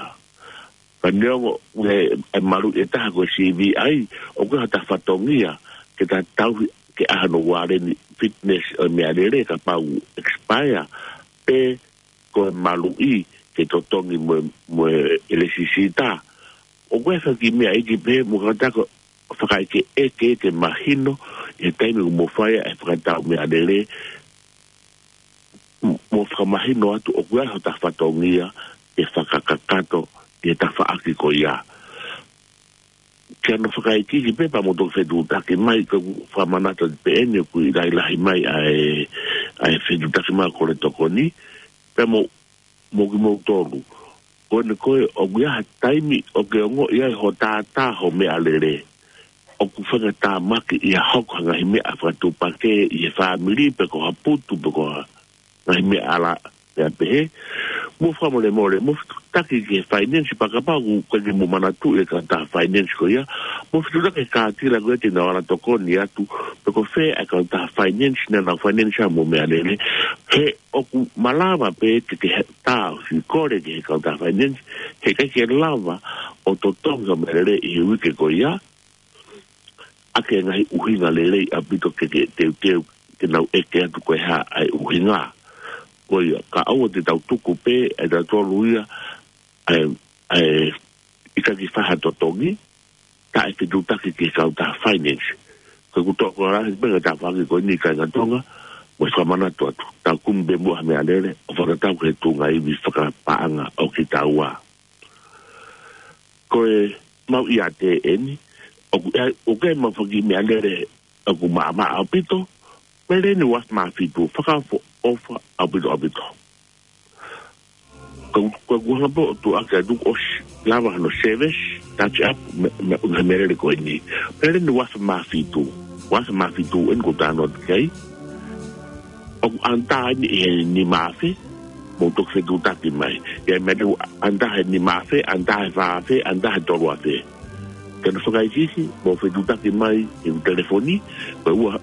Ka neongo ʻoku ʻi ai e maluʻi ʻe taha ko e C V I, ʻoku ʻi ai hota fatongia ke ta tauhi ke ʻai hano ualeni fitness ʻo e meʻalele kapau ʻoku expire, pe ko e maluʻi ke totongi mo, mo e lēsisita. ʻOku ʻi ai e kiʻi meʻa ʻe kiʻi pehē mo kātaki ʻo fakaʻekeʻeke ke mahino ʻi he taimi ʻoku mou fai ai e fakatau meʻalele, mo fakamahino atu ʻoku ʻi ai hota fatongia ke fakakakato ʻi he tafaʻaki ko ia. Ke ʻoua naʻa fakaikiiki pē pea mou toki fetutaki mai, ko e fakamanatu pē eni ʻoku ʻi ai e lahilahi mai ʻa e, ʻa e fetutaki mai ʻo e kole tokoni, pea mo, mo kimoutolu. Ko eni ko ē ʻoku ʻi ai ha taimi ʻoku ke ongoʻi ai hoʻo tātā hoʻo meʻalele, ʻoku faingataʻa mahaki ia hoko ha ngaahi meʻa fakatuʻupakē ʻi he fāmili pe ko ha putu pe ko ha ngaahi meʻa ʻala ia pehē. Mou fakamolemole, mou fetutaki ki he finance pea kapau ʻoku ʻikai ke mou manatuʻi e kautaha finance ko ia, mou fetutaki ki he kātila ko ia te nau ala tokoni atu, pe ko fē e kautaha finance naʻa nau finance ai hoʻomou meʻalele. He ʻoku malava pē ke ke tā ʻo siʻi kole ki he kautaha finance, he ʻikai ke lava ʻo totongi hoʻo meʻalele ʻi he uike ko ia, ʻaki e ngaahi ʻuhinga lelei ʻaupito ke ke teuteu ke nau ʻeke atu ko e hā ʻa e ʻuhinga. Ko ia, ka ʻoua te tau tuku pē ʻe tautolu ia ʻa e, ʻa e ʻikai ke fai ha totongi, taʻefetutaki ki he kautaha finance. Ko ʻeku tokolahi pē ngaahi tafaʻaki ko eni kāinga Tonga, Mo e fakamanatu atu, tau kumi pē muʻa ha meʻalele ʻo fakatatau ki he tuʻunga ivi fakapaʻanga ʻo kitaua. Ko e mau ʻiate eni, ʻoku ʻi ai, ʻoku ʻi ai ʻemau foʻi kiʻi meʻalele ʻoku maʻamaʻa ʻaupito, meʻalele ni ʻe uaafe mā fitu, fakaʻofoʻofa ʻaupito ʻaupito. Ko, ko, ko hanga pē ʻo tuʻuaki atu kuo ʻosi lava hono service, touch up, mei, mei, mei he meʻalele ko eni. Meʻalele ni ʻe uaafe mā fitu, uaafe mā fitu eni ʻoku ou talanoa atu ki ai. ʻOku under eni ʻi he nima afe, mou toki fetuʻutaki mai. ʻI ai meʻalele ʻoku under he nima afe, under he fā afe, under he tolu afe. Ke ne fakaikiiki, mou fetuʻutaki mai ʻi he telefoni, ko e ua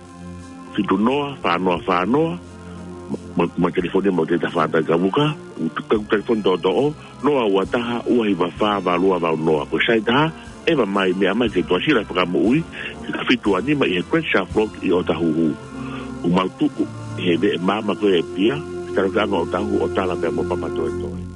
fitu noa, fā noa fā noa, mo, mo e telefoni mo e tefata kavuka, ko e telefoni toʻotoʻo, noa ua taha, ua hiva fā, valu ua valu noa, ko e sai taha, ʻeva mai, meʻa mai ki he Tuʻasila Fakamoʻui, fika fitu ua nima ʻi he Great Shelf Road ʻi ʻOtahuhu. ʻOku mau tuʻu ʻi he veʻe maama ko ē ʻa e pia, talu ki he anga ʻo ʻOtahuhu ʻo tala pea mo Papatoetoe.